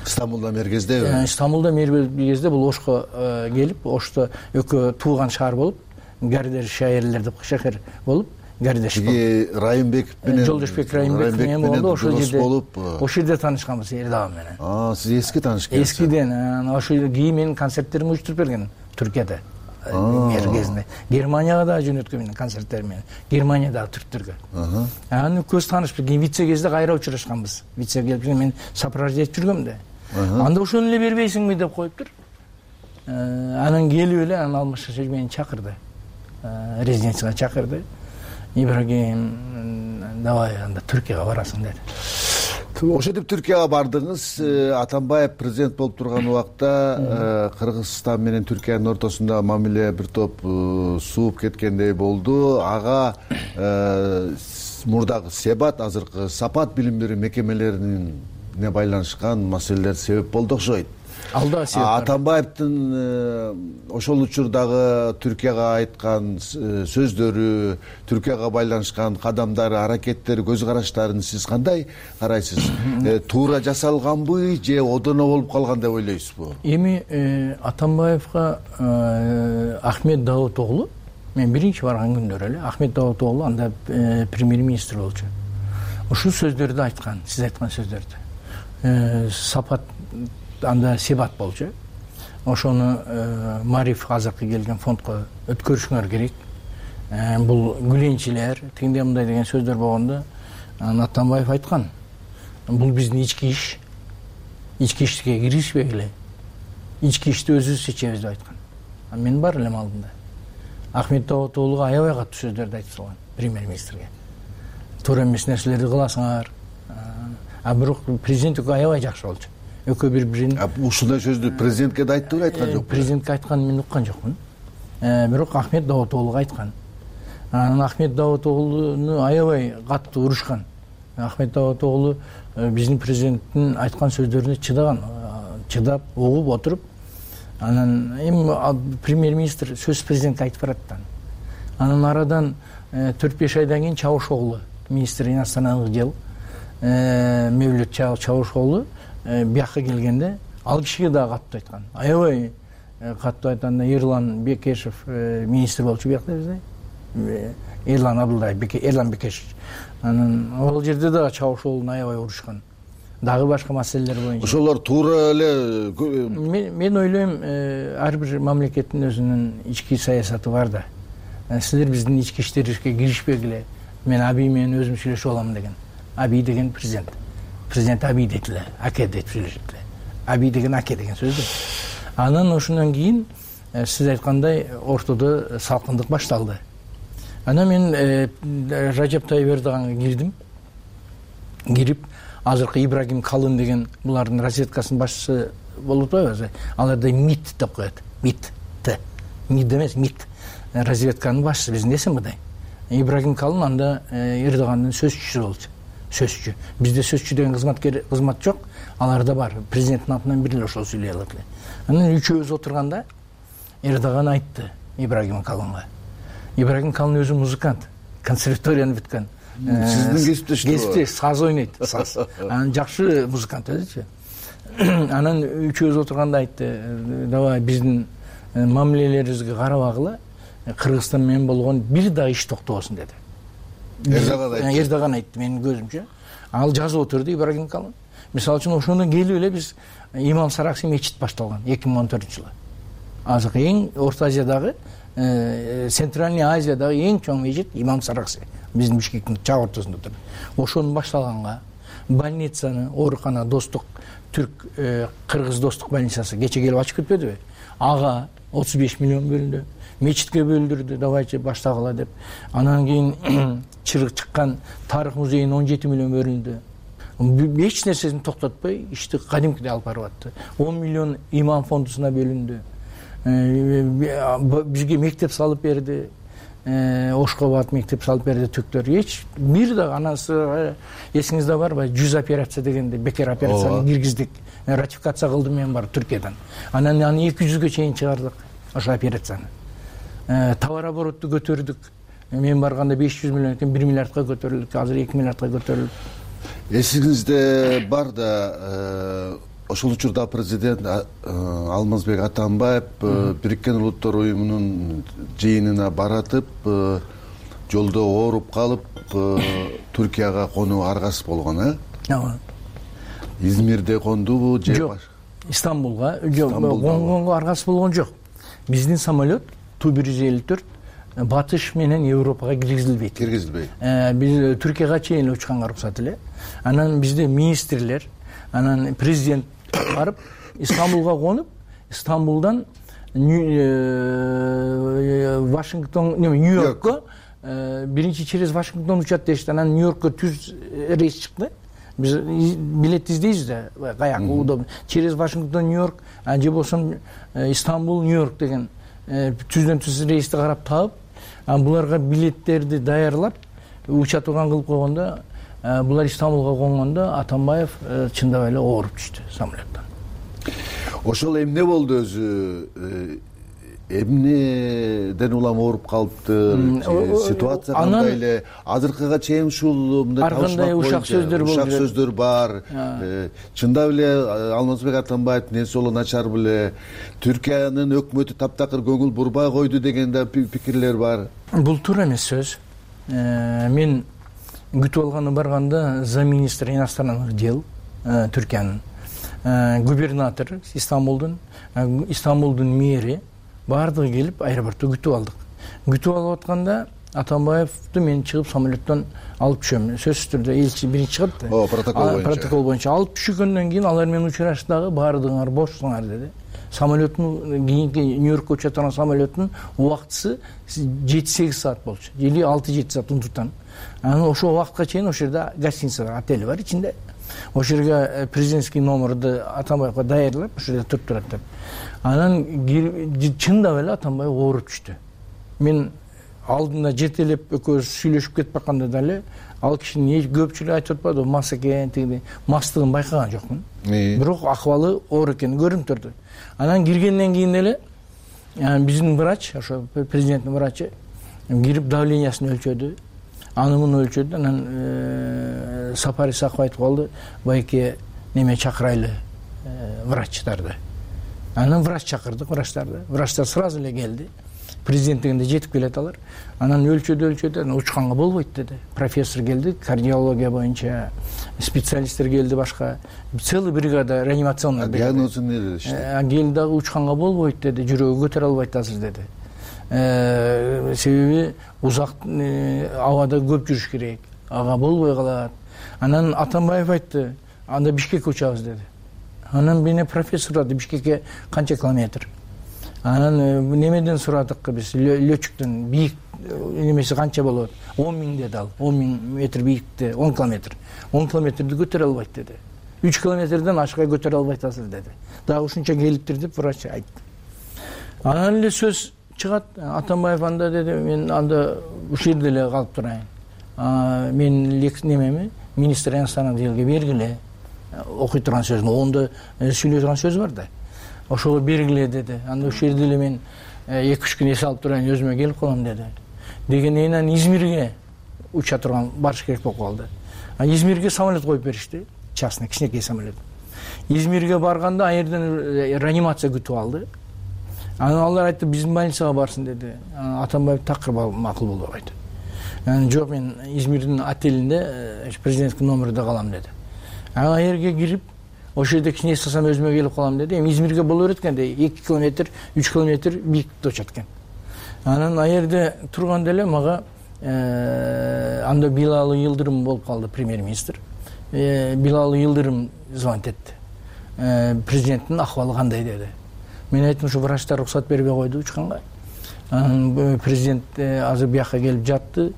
Стамбулда мергездеби? Стамбулда мергезде бул Ошко келип, Ошто экөө тууган шаар болуп, Гардер шаерлер деп шаһар болуп, Гардеш болуп. Райымбеков менен Жолдошбек Райымбеков менен болду, ошол жерде болуп, ошол жерде таанышканбыз Эрдоган менен. А, сиз эски таанышкансыз. Эскиден, ошол кийин менин концерттеримди уюштуруп берген Түркияда. Мергезинде. Германияга да жөнөткөн менен концерттер менен. Германиядагы түрктөргө. Аны көз таанышпыз. Кийин вице кезде кайра учурашканбыз. Вице келип мен сопровождать жүргөм да. Анда ошону эле бербейсиңби деп коюптур. Анан келип эле анан Алмаз Шашевич мени чакырды. Резиденцияга чакырды. Ибрагим, давай анда Түркияга барасың деди. Ошентип Түркияга бардыңыз. Атамбаев президент болуп турган убакта Кыргызстан менен Түркиянын ортосунда мамиле бир топ сууп кеткендей болду. Ага мурдагы Себат, азыркы Сапат билим берүү мекемелерине байланышкан маселелер себеп болду окшойт. Алда себеп. Атамбаевдин ошол учурдагы Түркияга айткан сөздөрү, Түркияга байланышкан кадамдары, аракеттери, көз караштарын сиз кандай карайсыз? Туура жасалганбы же одоно болуп калган деп ойлойсузбу? Эми Атамбаевга Ахмет Даут оглу, мен биринчи барган күндөрү эле Ахмет Даут оглу анда премьер-министр болчу. Ушул сөздөрдү айткан, сиз айткан сөздөрдү. Сапат анда Себат болчу. Ошону Мариф азыркы келген фондко өткөрүшүңөр керек. Бул гүленчилер, тигиндей мындай деген сөздөр болгондо Атамбаев айткан. Бул биздин ички иш. Ички ишке киришпегиле. Ички ишти өзүбүз чечебиз деп айткан. Мен бар элем алдында. Ахмет Даутоглуга аябай катуу сөздөрдү айтып салган премьер-министрге. Туура эмес нерселерди кыласыңар. А бирок президентке аябай жакшы болчу. Экөө бири-бирин. Ушундай сөздү президентке да айтты, айткан жокпу? Президентке айтканын мен уккан жокмун. Бирок Ахмет Даутоглуга айткан. Анан Ахмет Даутоглуну аябай катуу урушкан. Ахмет Даутоглу биздин президенттин айткан сөздөрүнө чыдаган, чыдап, угуп отуруп, анан эми премьер министр сөз президентке айтып барат. Анан арадан төрт беш айдан кийин Чавушоглу, министр иностранных дел Мевлют Чавушоглу бияка келгенде ал кишиге дагы каттуу айткан. Аябай каттуу айтканда Эрлан Бекешев министр болчу биякта бизде. Эрлан Абылдай, Эрлан Бекешев. Анан ал жерде дагы Чавушоглуну аябай урушкан. Дагы башка маселелер боюнча. Ошолор туура эле. Мен ойлойм, ар бир мамлекеттин өзүнүн ички саясаты бар да. Силер биздин ички иштерибизге киришпегиле. Мен Абий менен өзүм сүйлөшүп алам деген. Абий деген президент. Президент Абий дейт эле, аке деп сүйлөшөт эле. Абий деген аке деген сөз да. Анан ошондон кийин сиз айткандай ортодо салкындык башталды. Анан мен Ражеп Тайып Эрдоганга кирдим. Кирип азыркы Ибрагим Калын деген булардын разведкасынын башчысы болуп атпайбы? Аларда МИД деп коет. МИД. МИД эмес, МИД. Разведканын башчысы биздин эсен мындай. Ибрагим Калын анда Эрдогандын сөзчүсү болчу. Сөзчү. Бизде сөзчү деген кызматкер кызмат жок. Аларда бар. Президенттин атынан бир эле ошол сүйлөй алат эле. Анан үчөөбүз отурганда Эрдоган айтты Ибрагим Калынга. Ибрагим Калын өзү музыкант, консерваторияны бүткөн. Сиздин кесиптешиңиз Кесипте саз ойнойт, саз. Анан жакшы музыкант өзүчү. Анан үчөөбүз отурганда айтты, давай биздин мамилелерибизге карабагыла, Кыргызстан менен болгон бир дагы иш токтобосун деди. Эрдоган айтты. Эрдоган айтты менин көзүмчө. Ал жазып отурду Ибрагим Калын. Мисалы үчүн ошондон келип эле биз Имам Саракси мечит башталган эки миң он төртүнчү жылы. Азыркы эң Орто Азиядагы, Центральный Азиядагы эң чоң мечит Имам Саракси. Биздин Бишкектин чак ортосунда турат. Ошонун башталганга больницаны, оорукана Достук Түрк Кыргыз Достук больницасы кече келип ачып кетпедиби? Ага отуз беш миллион бөлүндү. Мечитке бөлдүрдү, давайчы баштагыла деп. Анан кийин чырык чыккан тарых музейине он жети миллион бөлүндү. Эч нерсесин токтотпой ишти кадимкидей алып барып атты. он миллион имам фондусуна бөлүндү. Бизге мектеп салып берди. Ошкобат мектеп салып берди түктөр. Эч бир да анасы эсиңизде барбы? жүз операция дегенде бекер операцияны киргиздик. Ратификация кылдым мен бар Түркиядан. Анан аны эки жүзгө чейин чыгардык ошо операцияны. Товар оборотду көтөрдүк. Мен барганда беш жүз миллион экен, бир миллиардка көтөрүлдүк, азыр эки миллиардка көтөрүлдүк. Эсиңизде бар да ошол учурда президент Алмазбек Атамбаев Бириккен Улуттар уюмунун жыйынына баратып, жолдо ооруп калып Түркияга конуу аргасыз болгон, э? Ооба. Измирде кондубу же жок? Стамбулга, жок, конгонго аргасыз болгон жок. Биздин самолет Ту бир жүз элүү төрт батыш менен Европага киргизилбейт. Киргизилбейт. Биз Түркияга чейин учканга уруксат эле. Анан бизде министрлер, анан президент барып Стамбулга конуп, Стамбулдан Вашингтон, Нью-Йоркко биринчи через Вашингтон учат дешти. Анан Нью-Йоркко түз рейс чыкты. Биз билет издейбиз да, каяк удобно. Через Вашингтон, Нью-Йорк, же болсо Стамбул, Нью-Йорк деген түздөн түз рейсти карап таап, буларга билеттерди даярлап, учат турган кылып койгондо, булар Стамбулга конгондо Атамбаев чындап эле ооруп түштү самолеттон. Ошол эмне болду өзү? Эмнеден улам ооруп калыпты? Ситуация кандай эле? Азыркыга чейин ушул мындай аркандай ушак сөздөр болду. Ушак сөздөр бар. Чындап эле Алмазбек Атамбаевдин эси боло начар беле, Түркиянын өкмөтү таптакыр көңүл бурбай койду деген да пикирлер бар. Бул туура эмес сөз. Мен күтүп алганы барганда замминистр иностранных дел Түркиянын губернатор Стамбулдун, Стамбулдун мэри баардыгы келип аэропортто күтүп алдык. Күтүп алып атканда Атамбаевди мен чыгып самолеттон алып түшөм. Сөзсүз түрдө элчи биринчи чыгат да. О, протокол боюнча. Протокол боюнча алып түшкөндөн кийин алар менен учураштагы баардыгыңар бошсуңар деди. Самолеттун кийинки Нью-Йоркко уча турган самолеттун убактысы жети сегиз саат болчу. Или алты жети саат унутуптан. Анан ошол убакытка чейин ошол жерде гостиница бар, отель бар ичинде. Ошол жерге президентский номерди Атамбаевга даярлап, ошол жерде туруп турат деп. Анан чындап эле Атамбаев ооруп түштү. Мен алдында жетелеп экөөбүз сүйлөшүп кетип атканда дагы ал кишинин көпчүлүгү айтып атпадыбы мас экен, тиги мастыгын байкаган жокмун. Бирок акыбалы оор экени көрүнүп турду. Анан киргенден кийин эле биздин врач, ошо президенттин врачы кирип давлениясын өлчөдү, аны муну өлчөдү. Анан Сапар Исаков айтып калды, байке неме чакырайлы врачтарды. Анан врач чакырдык, врачтарды. Врачтар сразу эле келди. Президент дегенде жетип келет алар. Анан өлчөдү, өлчөдү, анан учканга болбойт деди. Профессор келди, кардиология боюнча специалисттер келди, башка целый бригада реанимационный. Диагнозу эмне деди? Келди дагы учканга болбойт деди, жүрөгү көтөрө албайт азыр деди. Себеби узак абада көп жүрүш керек, ага болбой калат. Анан Атамбаев айтты, анда Бишкекке учабыз деди. Анан мене профессор айтты, Бишкекке канча километр? Анан немеден сурадык биз, летчиктен, бийик немеси канча болот? он миң деди ал. он миң метр бийиктикте он километр. он километрди көтөрө албайт деди. үч километрден ашкай көтөрө албайт азыр деди. Дагы ушунча келиптир деп врач айтты. Анан эле сөз чыгат. Атамбаев анда деди, мен анда ушул жерде эле калып турайын. Мен немеми министр иностранных делге бергиле. Окуй турган сөзүн, оонда сүйлөй турган сөз бар да. Ошого бергиле деди. Анда ушул жерде эле мен эки үч күн эс алып турайын, өзүмө келип калам деди. Дегенден кийин Измирге уча турган барыш керек болуп калды. Измирге самолет коюп беришти, частный кичинекей самолет. Измирге барганда ал жерден реанимация күтүп алды. Анан алар айтты, биздин больницага барсын деди. Атамбаев такыр макул болуп айтты. Анан жок, мен Измирдин отелинде президенттин номеринде калам деди. Ал жерге кирип, ошол жерде кичине эстасам өзүмө келип калам деди. Эми Измирге боло берет экен, эки километр, үч километр бийиктикте учат экен. Анан ал жерде турганда эле мага анда Билалы Йылдырым болуп калды, премьер-министр. Билалы Йылдырым звонить этти. Президенттин акыбалы кандай деди. Мен айттым, ушу врачтар уруксат бербей койду учканга. Анан президент азыр бияка келип жатты.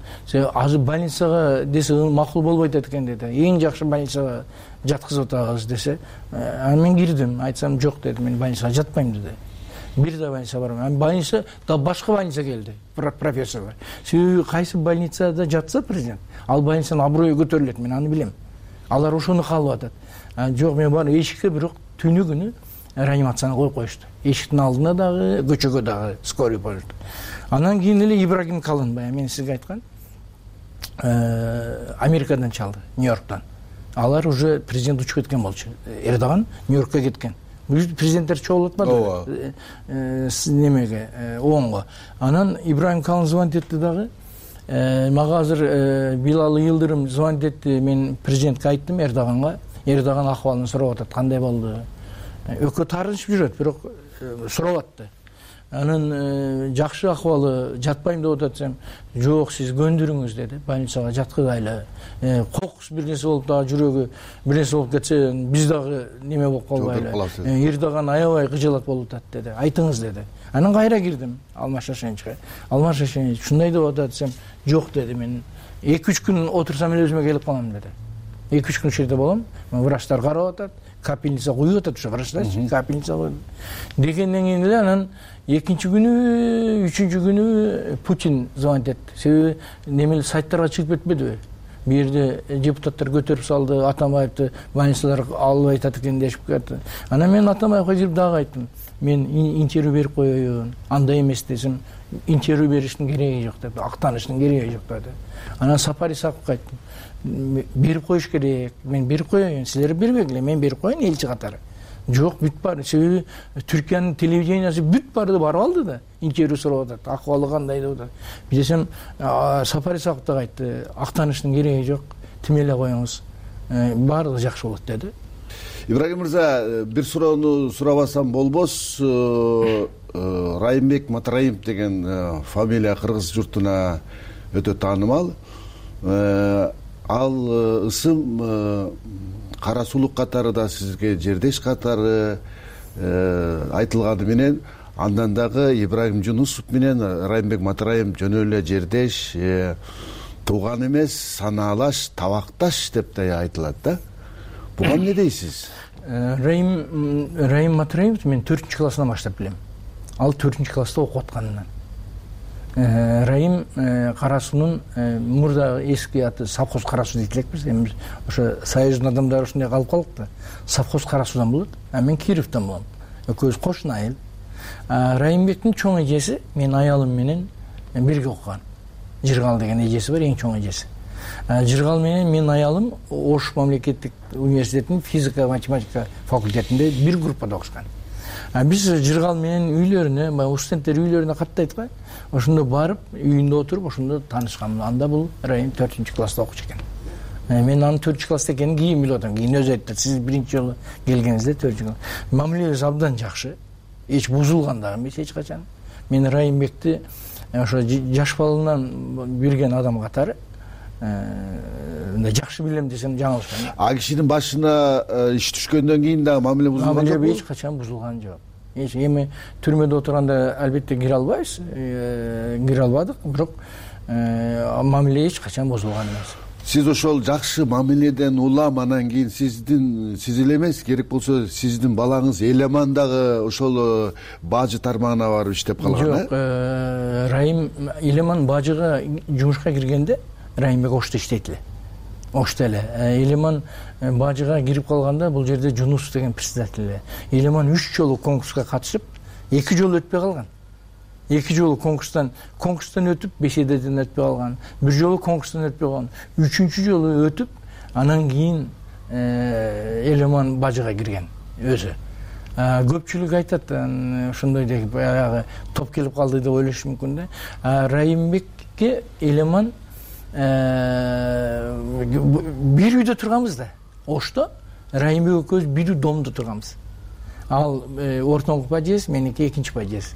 Азыр больницага десе макул болбойт экен деди. Эң жакшы больницага жаткызып атабыз десе, анан мен кирдим, айтсам жок деди, мен больницага жатпайм деди. Бир да больница барбайм. Анан больница да башка больница келди, профессорлор. Себеби кайсы больницада жатса президент, ал больницанын аброю көтөрүлөт, мен аны билем. Алар ошону каалап атат. Жок, мен бар эшикке бирок түнү күнү реанимацияны коюп коюшту. Эшиктин алдына дагы, көчөгө дагы скорый болушту. Анан кийин эле Ибрагим Калын, баягы мен сизге айткан, Америкадан чалды, Нью-Йорктан. Алар уже президент учуп кеткен болчу. Эрдоган Нью-Йоркко кеткен. Президенттер чогулуп атпады немеге, оонго. Анан Ибрагим Калын звонить этти дагы. Мага азыр Билалы Йылдырым звонить этти, мен президентке айттым, Эрдоганга. Эрдоган акыбалын сурап атат, кандай болду? Өкө таарынышып жүрөт, бирок сурап атты. Анын жакшы акыбалы, жатпайм деп атсам, жок, сиз көндүрүңүз деди, больницага жаткызайлы. Кокус бир нерсе болуп дагы жүрөгү бир нерсе болуп кетсе, биз дагы неме болуп калбайлы. Эрдоган аябай кыжалат болуп атат деди. Айтыңыз деди. Анан кайра кирдим Алмаз Шашеничке. Алмаз Шашенич ушундай деп атсам, жок деди, мен эки үч күн отурсам эле өзүмө келип калам деди. эки үч күн ушул жерде болом, врачтар карап атат, капельница куюп атат, ушу врачтар капельница коюп. Дегенден кийин эле анан экинчи күнү, үчүнчү күнү Путин звонить этти. Себеби немелер сайттарга чыгып кетпедиби? Бу жерде депутаттар көтөрүп салды, Атамбаевди больницалар албай атат экен дешип кетти. Анан мен Атамбаевга кирип дагы айттым, мен интервью берип коеюн, андай эмес десем, интервью бериштин кереги жок деп, актаныштын кереги жок деди. Анан Сапар Исаковго айттым, берип коюш керек, мен берип коеюн, силер бербегиле, мен берип коеюн элчи катары. Жок, бүт бар. Себеби Түркиянын телевидениясы бүт барды барып алды да, интервью сурап атат, акыбалы кандай деп атат. Десем, Сапар Исаков да айтты, актаныштын кереги жок, тим эле коюңуз, баардыгы жакшы болот деди. Ибрагим мырза, бир суроону сурабасам болбос. Райымбек Матраимов деген фамилия кыргыз журтуна өтө таанымал. Ал ысым Кара сулук катары да сизге жердеш катары айтылганы менен, андан дагы Ибрагим Жунусов менен Райымбек Матраимов жөн эле жердеш, тууган эмес, санаалаш, табакташ деп да айтылат да. Буга эмне дейсиз? Райым Райым Матраимовду мен төртүнчү классынан баштап билем. Ал төртүнчү класста окуп атканынан. Райым Кара суунун мурда эски аты совхоз Кара суу дейт элекпиз. Эми ошо союздун адамдары ушундай калып калдык да. Совхоз Кара суудан болот, а мен Кировдон болом. Экөөбүз кошуна айыл. Райымбектин чоң эжеси менин аялым менен бирге окуган. Жыргал деген эжеси бар, эң чоң эжеси. Жыргал менен менин аялым Ош мамлекеттик университетинин физика математика факультетинде бир группада окушкан. Биз Жыргал менен үйлөрүнө, баягы студенттер үйлөрүнө каттайт го. Ошондо барып, үйүндө отуруп, ошондо таанышкан. Анда бул Райым төртүнчү класста окучу экен. Мен анын төртүнчү класста экенин кийин билип атам. Кийин өзү айтты, сиз биринчи жолу келгениңизде төртүнчү класс. Мамилебиз абдан жакшы. Эч бузулган дагы эмес эч качан. Мен Райымбекти ошо жаш балынан билген адам катары жакшы билем десем жаңылышпайм. А кишинин башына иш түшкөндөн кийин дагы мамиле бузулган жокпу? Мамиле эч качан бузулган жок. Эч эми түрмөдө отурганда албетте кире албайбыз, кире албадык, бирок мамиле эч качан бузулган эмес. Сиз ошол жакшы мамиледен улам анан кийин сиздин сиз эле эмес, керек болсо сиздин балаңыз Элеман дагы ошол бажы тармагына барып иштеп калган, э? Жок, Райым Элеман бажыга жумушка киргенде Райымбек Ошто иштейт эле. Ошто эле. Элеман бажыга кирип калганда бул жерде Жунусов деген председатель эле. Элеман үч жолу конкурска катышып, эки жолу өтпөй калган. Эки жолу конкурстан конкурстан өтүп, бешеден өтпөй калган. Бир жолу конкурстан өтпөй калган. Үчүнчү жолу өтүп, анан кийин Элеман бажыга кирген өзү. Көпчүлүк айтат, ошондой деп баягы топ келип калды деп ойлошу мүмкүн да. Райымбекке Элеман бир үйдө турганбыз да. Ошто Райымбек экөөбүз бир домдо турганбыз. Ал ортоңку бажес, меники экинчи бажес.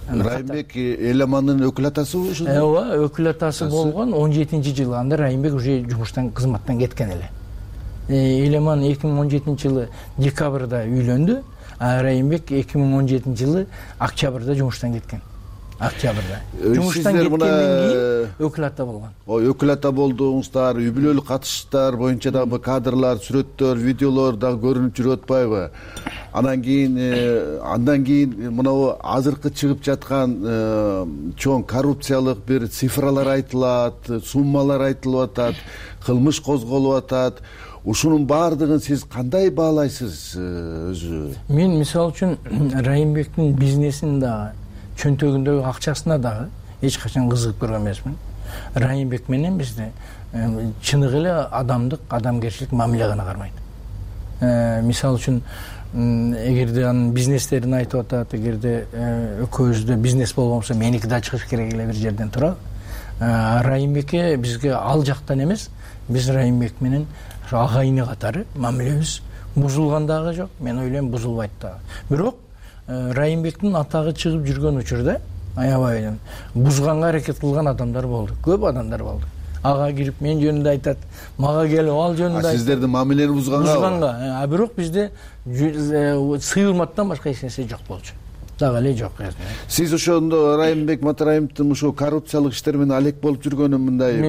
Райымбек Элемандын өкүл атасыбы ошо? Ооба, өкүл атасы болгон он жетинчи жылы. Анда Райымбек уже жумуштан кызматтан кеткен эле. Элеман эки миң он жетинчи жылы декабрда үйлөндү, а Райымбек эки миң он жетинчи жылы октябрда жумуштан кеткен. Октябрда. Жумуштан кеткенден кийин өкүл ата болгон. Ой, өкүл ата болдуңуздар, үй бүлөлүк катыштар боюнча дагы кадрлар, сүрөттөр, видеолор дагы көрүнүп жүрүп атпайбы? Андан кийин андан кийин мына азыркы чыгып жаткан чоң коррупциялык бир цифралар айтылат, суммалар айтылып атат, кылмыш козголуп атат. Ушунун баардыгын сиз кандай баалайсыз өзү? Мен мисалы үчүн Райымбектин бизнесин дагы, чөнтөгүндөгү акчасына дагы эч качан кызыгып көргөн эмесмин. Райымбек менен бизде чыныгы эле адамдык, адамгерчилик мамиле гана кармайт. Мисалы үчүн эгерде анын бизнестерин айтып атат, эгерде экөөбүздө бизнес болгонсо меники да чыгыш керек эле бир жерден турабы. Райымбекке бизге ал жактан эмес, биз Райымбек менен агайыны катары мамилебиз бузулган дагы жок. Мен ойлойм бузулбайт дагы. Бирок Райымбектин атагы чыгып жүргөн учурда аябай эле бузганга аракет кылган адамдар болду. Көп адамдар болду. Ага кирип мен жөнүндө айтат, мага келип ал жөнүндө айтат. Сиздердин мамилени бузганга? Бузганга. А бирок бизде сыйылматтан башка эч нерсе жок болчу. Дагы эле жок. Сиз ошондо Райымбек Матраимовдун ушул коррупциялык иштер менен алек болуп жүргөнүн мындай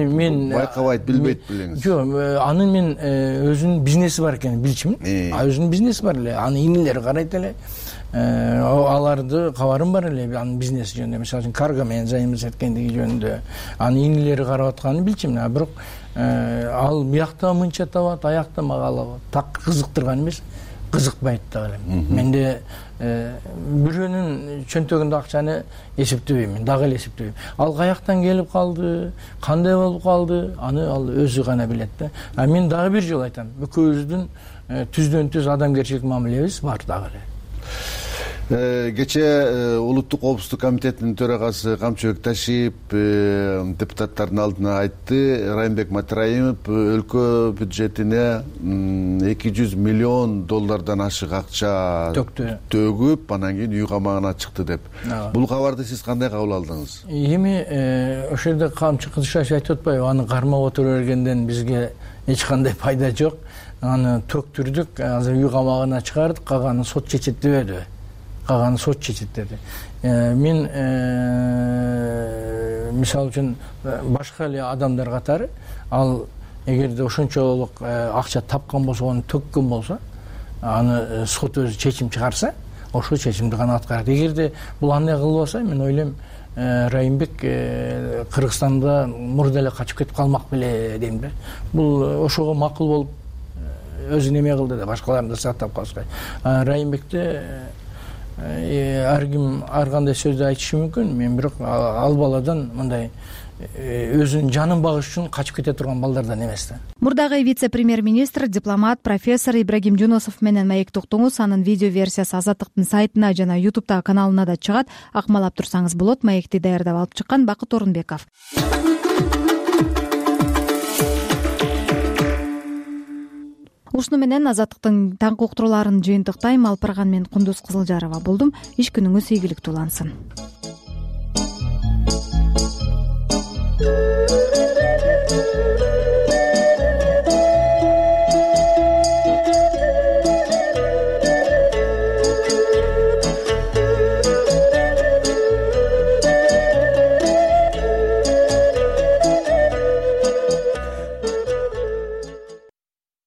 байкабайт, билбейт белеңиз? Жок, анын мен өзүнүн бизнеси бар экенин билчүмүн. А өзүнүн бизнеси бар эле, анын инилери карайт эле. Аларды кабарым бар эле анын бизнеси жөнүндө. Мисалы үчүн карго менен взаимодействие жөнүндө анын инилери карап атканын билчүмүн. А бирок ал биякта мынча табат, аякта мага алабы. Так кызыктырган эмес, кызыкпайт дагы эле. Менде бирөөнүн чөнтөгүндө акчаны эсептебейм, дагы эле эсептебейм. Ал каяктан келип калды, кандай болуп калды, аны ал өзү гана билет да. А мен дагы бир жолу айтам, экөөбүздүн түздөн түз адамгерчилик мамилебиз бар дагы эле. Кечээ улуттук коопсуздук комитетинин төрагасы Камчыбек Ташиев депутаттардын алдына айтты, Райымбек Матраимов өлкө бюджетине эки жүз миллион доллардан ашык акча төгүп, анан кийин үй камагына чыкты деп. Бул кабарды сиз кандай кабыл алдыңыз? Эми ошол жерде Камчы Кыдышбаев айтып атпайбы, аны кармап отура бергенден бизге эч кандай пайда жок. Аны төктүрдүк, азыр үй камагына чыгардык, калганын сот чечет дебедиби? Калганын сот чечет деди. Мен мисалы үчүн башка эле адамдар катары ал эгерде ошончолук акча тапкан болсо, аны төккөн болсо, аны сот өзү чечим чыгарса, ошол чечимди гана аткарат. Эгерде бул андай кылбаса, мен ойлойм райымбек кыргызстанда мурда эле качып кетип калмак беле дейм да. Бул ошого макул болуп өзүн эме кылды да, башкаларын да сактап калышкай. Райымбекте ар ким ар кандай сөздү айтышы мүмкүн, мен бирок ал баладан мындай өзүнүн жанын багыш үчүн качып кете турган балдардан эмес да. Мурдагы вице-премьер-министр, дипломат, профессор Ибрагим Жунусов менен маектик уктуңуз. Анын видео версиясы Азаттыктын сайтына жана ютубтагы каналына да чыгат. Акмалап турсаңыз болот. Маекти даярдап алып чыккан Бакыт Орунбеков. Ушуну менен Азаттыктын таңкы уктурууларын жыйынтыктайм. Алпарган мен Кундуз Кызылжарова болдум. Иш күнүңүз ийгиликтүү улансын.